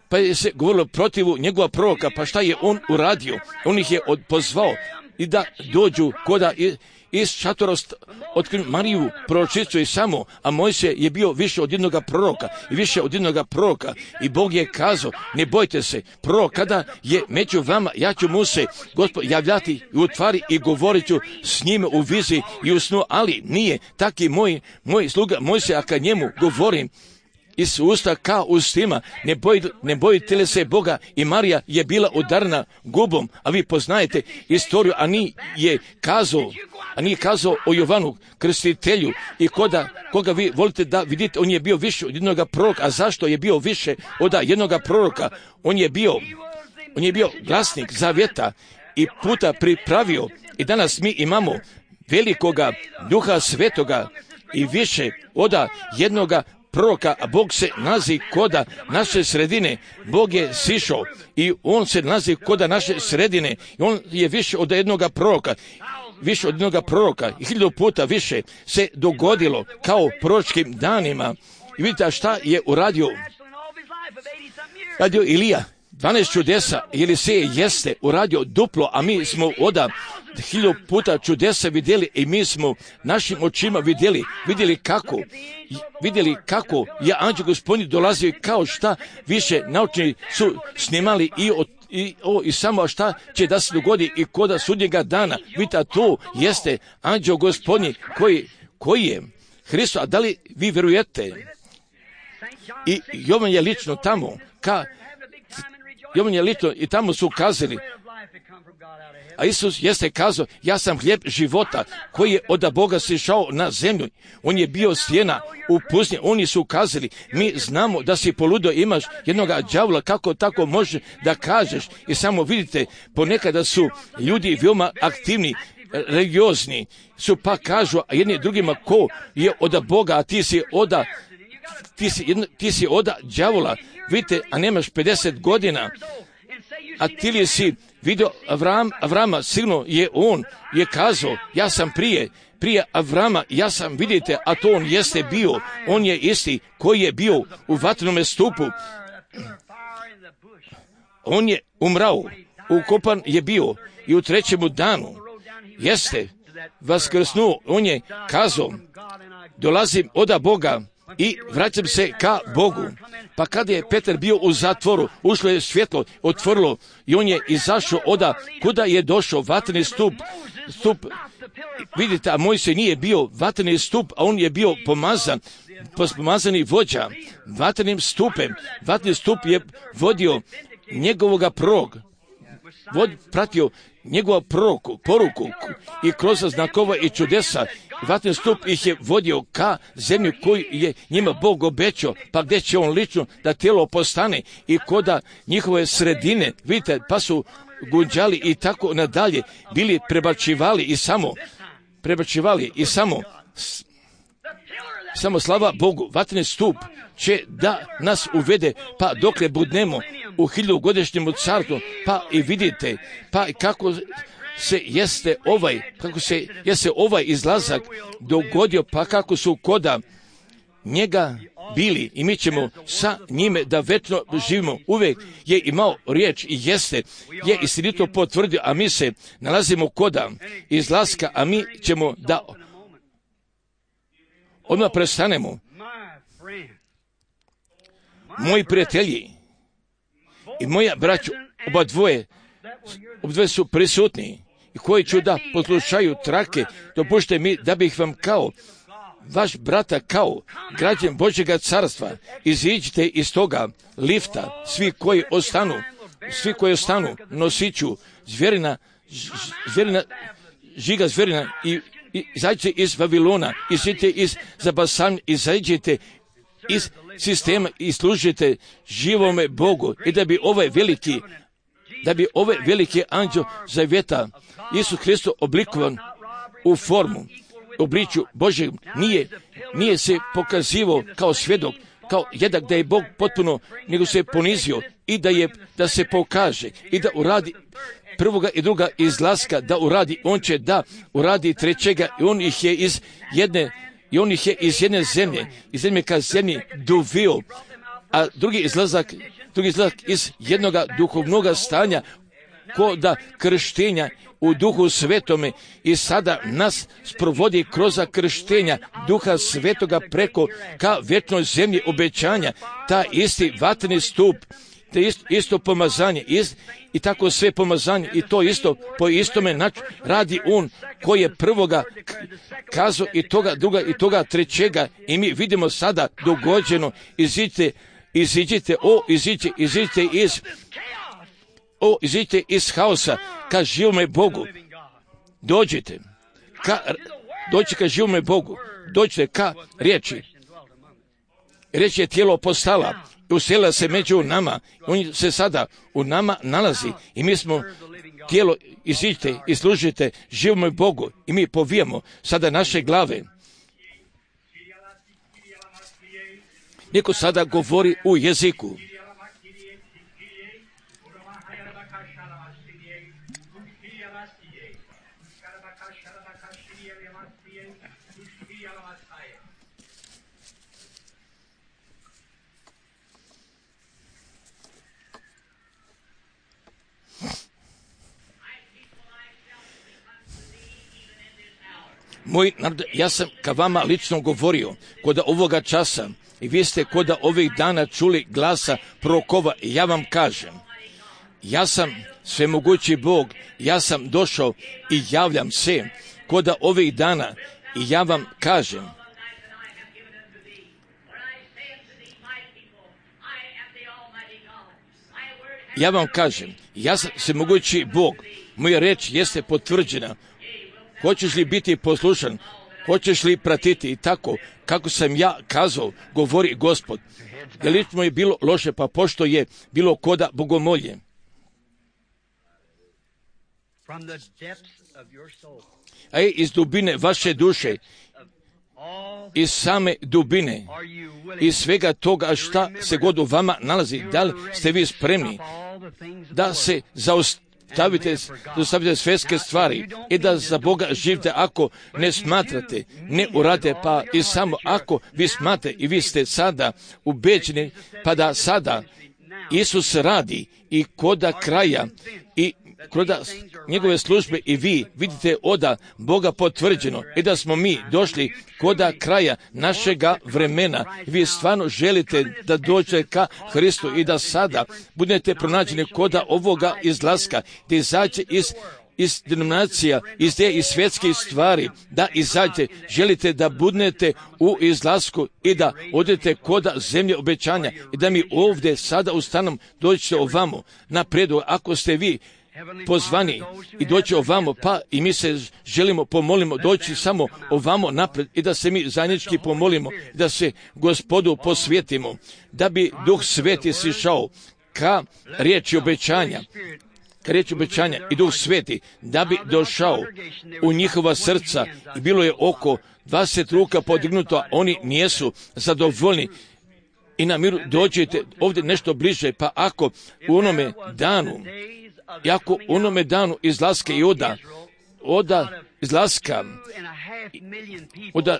pa je se govorilo protivu njegova proroka, pa šta je on uradio? On ih je pozvao i da dođu koda iz šatora otkrili Mariju proročicu i samo, a Mojsije je bio više od jednoga proroka i više od jednoga proroka i Bog je kazao, ne bojte se, prorok kada je među vama, ja ću mu se Gospod javljati i u tvari i govorit ću s njime u viziji i u snu, ali nije taki moj, moj sluga Mojsije, a kad njemu govorim iz usta kao ustima, ne, boj, ne bojite li se Boga, i Marija je bila udarna gubom, a vi poznajete istoriju, a ni je kazao, a nije kazao o Jovanu Krstitelju i koda, koga vi volite da vidite, on je bio više od jednoga proroka, a zašto je bio više od jednoga proroka? On je bio, on je bio glasnik zavjeta i puta pripravio i danas mi imamo velikoga Duha Svetoga i više od jednoga proroka, a Bog se nalazi koda naše sredine. Bog je sišao i on se nalazi koda naše sredine i on je više od jednoga proroka, više od jednoga proroka i hiljadu puta više se dogodilo kao proročkim danima. I vidite šta je uradio radio Ilija, dvanaest čudesa, Elisej jeste uradio duplo, a mi smo oda hiljadu puta čudesa vidjeli i mi smo našim očima vidjeli, vidjeli kako, vidjeli kako je anđeo Gospodnji dolazio i kao šta više naučni su snimali i od I, o, i samo šta će da se dogodi i koda sudnjega dana. Vidite, to jeste anđeo Gospodnji koji, koji je Hristos. A da li vi vjerujete? I Jovan je lično tamo, ka, Jovan je lično i tamo su kazali, a Isus jeste kazao, ja sam hljeb života koji je od Boga sišao na zemlju. On je bio sjena u pustinji. Oni su kazali, mi znamo da si poludo, imaš jednoga đavola, kako tako može da kažeš? I samo vidite, ponekada su ljudi veoma aktivni, religiozni su pa kažu a jedni drugima ko je od Boga, a ti si oda ti si, ti si oda đavola, vidite, a nemaš pedeset godina, a ti li si vidio Avram, Avrama, sigurno je on je kazao, ja sam prije, prije Avrama, ja sam, vidite, a to on jeste bio, on je isti koji je bio u vatrenome stupu, on je umrao, ukopan je bio i u trećemu danu jeste vaskrsnuo, on je kazao, dolazim od Boga i vraćam se ka Bogu. Pa kada je Petar bio u zatvoru, ušlo je svjetlo, otvorilo i on je izašao oda kuda je došao vatreni stup, stup, vidite, a Mojsije nije bio vatreni stup, a on je bio pomazan, pomazani vođa, vatrenim stupem. Vatreni stup je vodio njegovoga prorok, vod, pratio njegovu proroku, poruku i kroz znakova i čudesa. Vatreni stup ih je vodio ka zemlji koju je njima Bog obećao, pa gdje će on lično da tijelo postane i koda njihove sredine, vidite, pa su gunđali i tako nadalje, bili prebačivali i samo, prebačivali i samo, samo slava Bogu, vatreni stup će da nas uvede, pa dokle budnemo u hiljadugodišnjem carstvu, pa i vidite, pa kako se jeste ovaj, kako se jeste ovaj izlazak dogodio, pa kako su koda njega bili i mi ćemo sa njime da večno živimo. Uvijek je imao riječ i jeste, je istinito potvrdio, a mi se nalazimo koda izlaska, a mi ćemo da odmah prestanemo. Moji prijatelji i moja braću, oba dvoje, oba dvoje su prisutni i koji ću da poslušaju trake, dopušte mi da bih vam kao vaš brata, kao građan Božjega carstva, iziđite iz toga lifta, svi koji ostanu, svi koji ostanu, nosiću zvjerina, zvjerina, žiga zvjerina i, i izađite iz Vavilona, izađite iz Zabasan, izađite iz sistema i služite živome Bogu i da bi ovaj veliki, da bi ovaj veliki anđeo zavjeta Isus Hristos oblikovan u formu, obličju Božeg, nije, nije se pokazivao kao svjedok, kao jednak da je Bog potpuno, nego se ponizio i da je, da se pokaže i da uradi prvoga i druga izlaska, da uradi, on će da uradi trećega i on ih je iz jedne I on ih je iz jedne zemlje, iz zemlje ka zemlji dovio, a drugi izlazak, drugi izlazak iz jednoga duhovnoga stanja, koda krštenja u duhu svetome i sada nas sprovodi kroz krštenja duha svetoga preko ka vječnoj zemlji obećanja, ta isti vatreni stup, te isto, isto pomazanje ist, i tako sve pomazanje i to isto po istome nač, radi on koji je prvoga kazao i toga druga i toga trećega i mi vidimo sada dogođeno, iziđite, iziđite, o iziđite, iziđite iz o iziđite iz haosa ka živome Bogu, dođite ka, dođite ka živome Bogu, dođite ka riječi, riječ je tijelo postala, uselila se među nama, on se sada u nama nalazi i mi smo tijelo, iziđite i služite živome Bogu i mi povijamo sada naše glave. Neko sada govori u jeziku. Moj narod, ja sam ka vama lično govorio kod ovoga časa i vi ste kod ovih dana čuli glasa prorokova i ja vam kažem, ja sam svemogući Bog, ja sam došao i javljam se kod ovih dana i ja vam kažem, ja vam kažem, ja sam svemogući Bog, moja reč jeste potvrđena. Hoćeš li biti poslušan? Hoćeš li pratiti i tako kako sam ja kazao, govori Gospod. Jer lično je bilo loše, pa pošto je bilo koda bogomolje. a i iz dubine vaše duše, iz same dubine, iz svega toga šta se god u vama nalazi, da li ste vi spremni da se zaustavite, zaustavite svjetske stvari i da za Boga živite ako ne smatrate, ne urade, pa i samo ako vi smatrate i vi ste sada ubeđeni, pa da sada Isus radi i koda kraja i koda njegove službe i vi vidite oda Boga potvrđeno i da smo mi došli koda kraja našega vremena. Vi stvarno želite da dođete ka Hristu i da sada budete pronađeni koda ovoga izlaska, da izađe iz iz denominacija, iz te iz svjetskih stvari, da izađete, želite da budete u izlasku i da odete koda zemlje obećanja i da mi ovdje sada ustanom dođete ovamo na prijedlog. Ako ste vi pozvani i doći ovamo, pa i mi se želimo pomolimo doći samo ovamo napred i da se mi zajednički pomolimo, da se Gospodu posvetimo, da bi Duh Sveti sišao ka riječi obećanja, ka riječi obećanja i Duh Sveti, da bi došao u njihova srca i bilo je oko dvadeset ruka podignuto, a oni nijesu zadovoljni. I na miru dođete ovdje nešto bliže, pa ako u onome danu, i ako u onome danu izlaska i oda, oda izlaska, oda,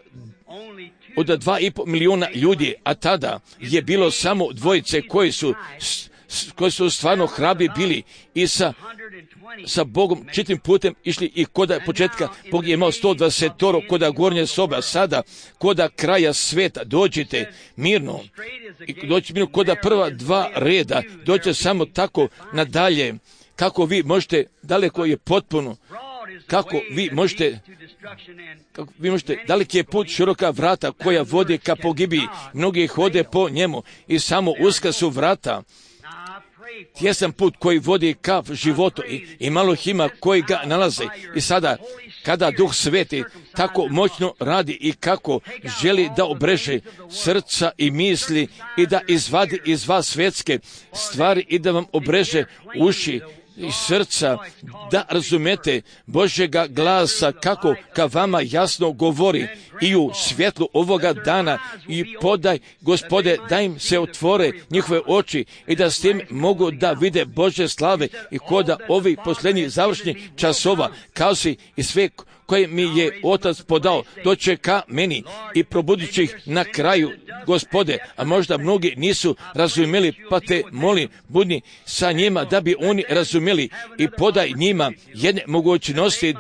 oda dva i pol miliona ljudi, a tada je bilo samo dvojice koji su, koji su stvarno hrabri bili i sa, sa Bogom čitim putem išli i koda početka Bog je imao sto dvadeset koda gornje soba, sada koda kraja sveta dođite mirno i dođite mirno koda prva dva reda, dođite samo tako nadalje, kako vi možete, daleko je potpuno, kako vi možete, kako vi možete, daleki je put, široka vrata koja vodi ka pogibiji, mnogi hode po njemu i samo uska su vrata, tjesan put koji vodi ka životu i, i malo ih ima koji ga nalaze. I sada, kada Duh Sveti tako moćno radi i kako želi da obreže srca i misli i da izvadi iz vas svjetske stvari i da vam obreže uši i srca, da razumete Božjega glasa kako ka vama jasno govori i u svjetlu ovoga dana i podaj, Gospode, da im se otvore njihove oči i da s tim mogu da vide Božje slave i koda ovih posljednjih završnih časova, kao si i sve koje mi je Otac podao, doće ka meni i probudit ih na kraju, Gospode, a možda mnogi nisu razumjeli, pa te molim, budni sa njima da bi oni razumjeli i podaj njima jedne mogućnosti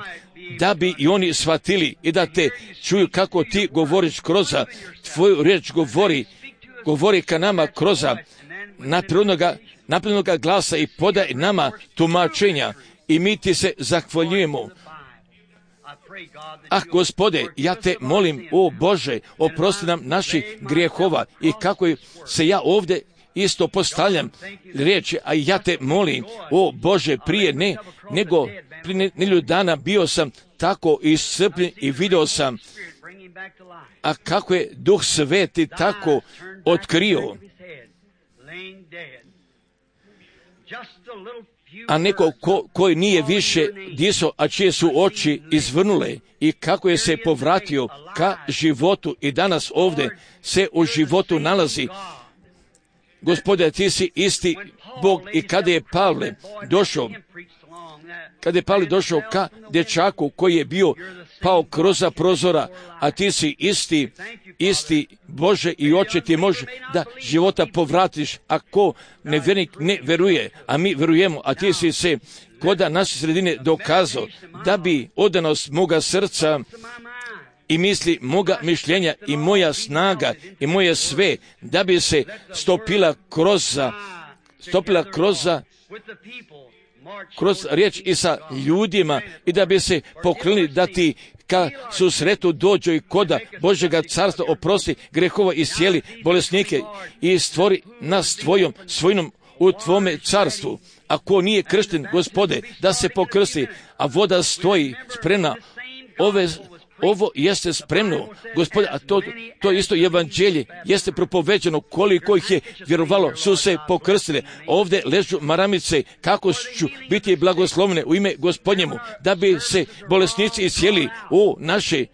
da bi i oni shvatili i da te čuju kako ti govoriš kroz tvoju riječ, govori, govori ka nama kroz naprednoga, naprednoga glasa i podaj nama tumačenja i mi ti se zahvaljujemo. Ah, Gospode, ja te molim, o Bože, oprosti nam naših grijehova i kako se ja ovdje isto postavljam riječi, a ja te molim, o Bože, prije ne, nego prije nekoliko dana bio sam tako iscrpljen i vidio sam, a kako je Duh Sveti tako otkrio, a neko ko, koji nije više disao, a čije su oči izvrnule i kako je se povratio ka životu i danas ovdje se u životu nalazi. Gospode, ti si isti Bog i kada je Pavle došao, kada je Pavle došao ka dječaku koji je bio pao kroz prozora, a ti si isti, isti Bože i oče ti može da života povratiš, ako nevjernik ne veruje, a mi verujemo, a ti si se koda naše sredine dokazao da bi odanost moga srca i misli moga mišljenja i moja snaga i moje sve, da bi se stopila kroz, stopila kroz, kroz riječ i sa ljudima i da bi se pokrenuli da ti ka susretu dođu i koda Božjega carstva oprosti grehova i iscijeli bolesnike i stvori nas tvojom svojinom u tvome carstvu. Ako nije kršten, Gospode, da se pokrsti, a voda stoji spremna ove ovo jeste spremno, Gospod, a to, to isto evanđelje jeste propoveđeno, koliko ih je vjerovalo, su se pokrstili. Ovdje ležu maramice, kako ću biti blagoslovne u ime Gospodnjemu, da bi se bolesnici iscijeli u naše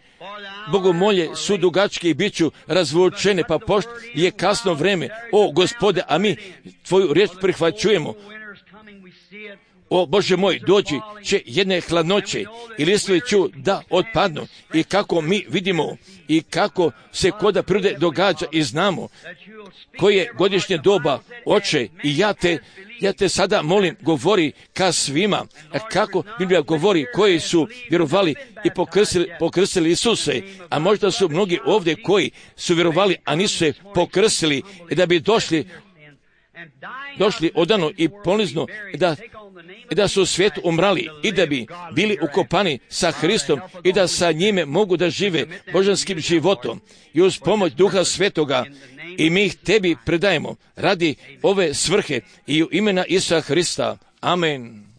bogomolje su dugačke i bit ću razvučene, pa pošto je kasno vreme, o Gospode, a mi tvoju riječ prihvaćujemo. O Bože moj, dođi će jedne hladnoće i listovi ću da otpadnu, i kako mi vidimo i kako se koda prirode događa i znamo koje godišnje doba, Oče, i ja te Ja te sada molim, govori ka svima, kako Biblija govori, koji su vjerovali i pokrstili, pokrstili Isuse, a možda su mnogi ovdje koji su vjerovali, a nisu se pokrstili, i da bi došli, došli odano i ponizno, da, da su u svijetu umrali i da bi bili ukopani sa Hristom i da sa njime mogu da žive božanskim životom i uz pomoć Duha Svetoga. I mi ih tebi predajemo radi ove svrhe i u imena Isusa Hrista. Amen.